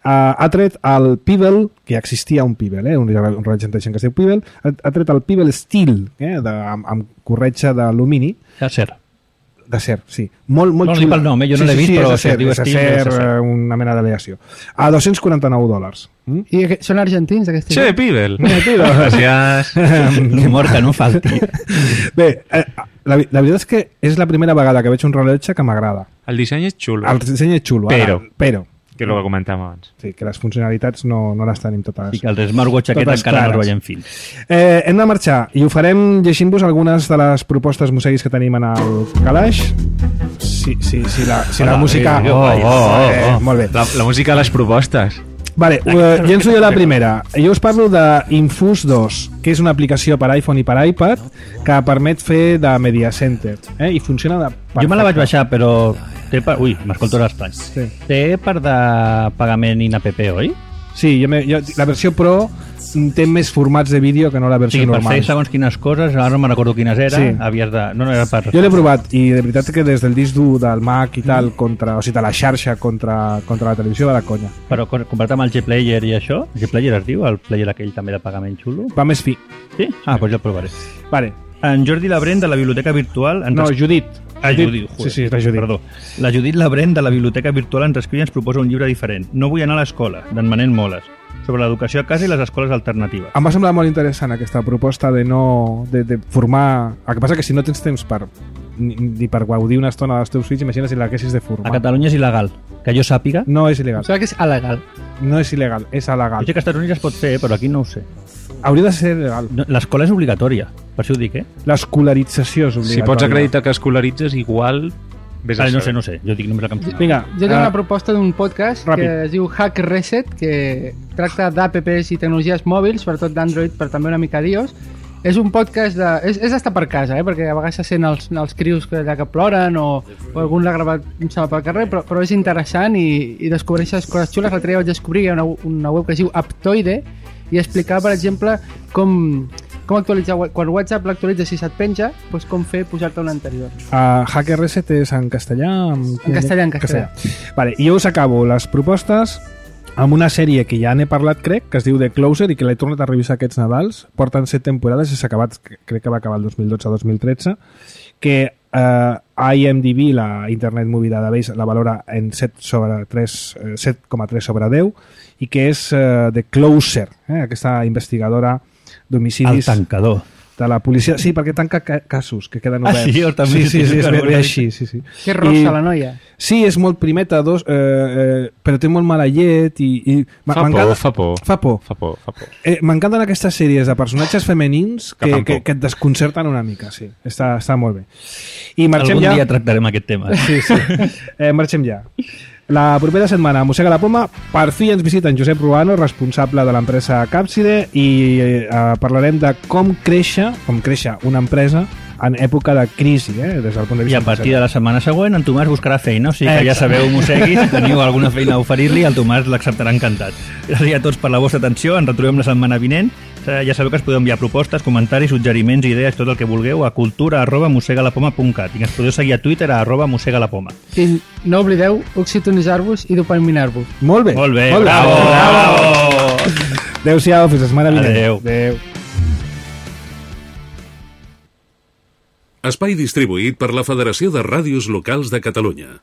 Eh, ha tret el Pibel, que ja existia un Pibel, eh, un, un rellotge intel·ligent que es diu Pibel, ha, ha tret el Pibel Steel, eh, de, amb, amb corretja d'alumini, D'acer. d'acer, sí. Molt, molt No, no xulo. dic pel nom, eh? Jo no l'he vist, és però acer, si es diu és Steel, acer, és acer. eh, una mena d'aleació. A dos-cents quaranta-nou dòlars. Mm? I que- són argentins, aquests? Che, Pibel. Mira, Pibel. Gràcies. Que mort que no falti. Bé, eh, la, la veritat és que és la primera vegada que veig un rellotge que m'agrada. El disseny és xulo. El disseny és xulo, ara, Però. però Que és el que comentàvem abans. sí, que les funcionalitats no, no les tenim totes. I que els smartwatch aquests Totes encara no clares. els veiem fins. Eh, hem de marxar i ho farem llegint-vos algunes de les propostes museguis que tenim en el calaix. Si, si, si, la, si la Hola, música... eh, Oh, oh, oh, Eh, oh. molt bé. La, la música de les propostes. Vale, uh, llenço jo la primera. Jo us parlo de Infus dos, que és una aplicació per iPhone i per iPad que permet fer de Media Center. Eh? I funciona de perfecte. Jo me la vaig baixar, però... Té per... Ui, m'escolto l'estrany. Sí. Té per de pagament in app, oi? Sí, jo me, jo, la versió Pro té més formats de vídeo que no la O versió sigui, per normal. fer segons quines coses, ara no me'n recordo quines era, Sí. havies de... No, no era per... Jo l'he provat i de veritat que des del disc dur del Mac i tal, contra, o sigui, de la xarxa contra, contra la televisió va de conya. Però co- comparat amb el G-Player i això, G-Player es diu, el player aquell també de pagament xulo? Va més fi. Sí? Ah, doncs jo el provaré. Vale. En Jordi Labrent, de la Biblioteca Virtual... Ens No, es- Judit. Ah, Judit, Sí, sí, és la Judit. Perdó. La Judit Labrent, de la Biblioteca Virtual, ens escriu i ens proposa un llibre diferent. No vull anar a l'escola, d'en Manent Moles, sobre l'educació a casa i les escoles alternatives. Em va semblar molt interessant aquesta proposta de no... de, de formar... El que passa que si no tens temps per ni, ni per gaudir una estona dels teus fills, imagina si l'haguessis de A formar. Catalunya és il·legal. Que jo sàpiga... No és Em il·legal. sembla que és alegal. No és il·legal, és Jo alegal. sé que als Estats Units es pot fer, però aquí no ho sé. Hauria de ser legal. No, l'escola és obligatòria, per això ho dic, eh? L'escolarització és Si obligatòria. pots acreditar que escolaritzes, igual... Vés a Ah, no sé, saber. no sé. Jo dic només el que em surt. Vinga, Jo tinc eh, una proposta d'un podcast ràpid. que es diu Hack Reset, que tracta d'apps i tecnologies mòbils, sobretot d'Android, però també una mica d'iOS. És un podcast de... És, és d'estar per casa, eh? Perquè a vegades se sent els, els crios que, allà que ploren o, o algun l'ha gravat em sembla, pel carrer, però, però és interessant i, i descobreixes coses xules. L'altre dia vaig descobrir que hi ha una, una web que es diu Aptoide i explicar, per exemple, com Com actualitzar... Quan WhatsApp l'actualitza, si se't penja, doncs com fer pujar-te un anterior. Uh, Hacker Reset és en castellà? En, en castellà, en castellà. castellà. Vale, i jo us acabo les propostes amb una sèrie que ja n'he parlat, crec, que es diu The Closer i que l'he tornat a revisar aquests Nadals. Porten set temporades i s'ha acabat, crec que va acabar el dos mil dotze dos mil tretze, que uh, IMDb, la Internet Movie Database, la valora en set coma tres sobre deu i que és uh, The Closer, eh, aquesta investigadora d'homicidis... El tancador. De la policia. Sí, perquè tanca ca casos que queden oberts. Ah, sí? També sí, sí, sí, és bé així. Sí, sí. Que rossa, I... la noia. Sí, és molt primeta, dos, eh, eh, però té molt mala llet i... i fa, por, fa por, fa por. Fa por, fa por. Eh, M'encanten aquestes sèries de personatges femenins que, que, que, que et desconcerten una mica, sí. Està, està molt bé. I marxem Algun ja... dia tractarem aquest tema. Sí, sí. Eh, marxem ja. La propera setmana a Mossega la Poma per fi ens visita en Josep Ruano, responsable de l'empresa Capside, i eh, parlarem de com créixer, com créixer una empresa en època de crisi, eh, des del punt de vista. I a partir de la setmana següent en Tomàs buscarà feina, o sigui que ja sabeu, Mossegui, si teniu alguna feina a oferir-li, el Tomàs l'acceptarà encantat. Gràcies a tots per la vostra atenció, ens retrobem la setmana vinent. Ja sabeu que es podeu enviar propostes, comentaris, suggeriments, idees, tot el que vulgueu a cultura arroba mossegalapoma punt cat i ens podeu seguir a Twitter a arroba mossegalapoma. I no oblideu oxitonitzar-vos i dopaminar-vos. Molt bé. Molt bé, Molt bravo, bravo. bravo. Adéu-siau, fins la setmana vinent. Adéu. Adéu. Espai distribuït per la Federació de Ràdios Locals de Catalunya.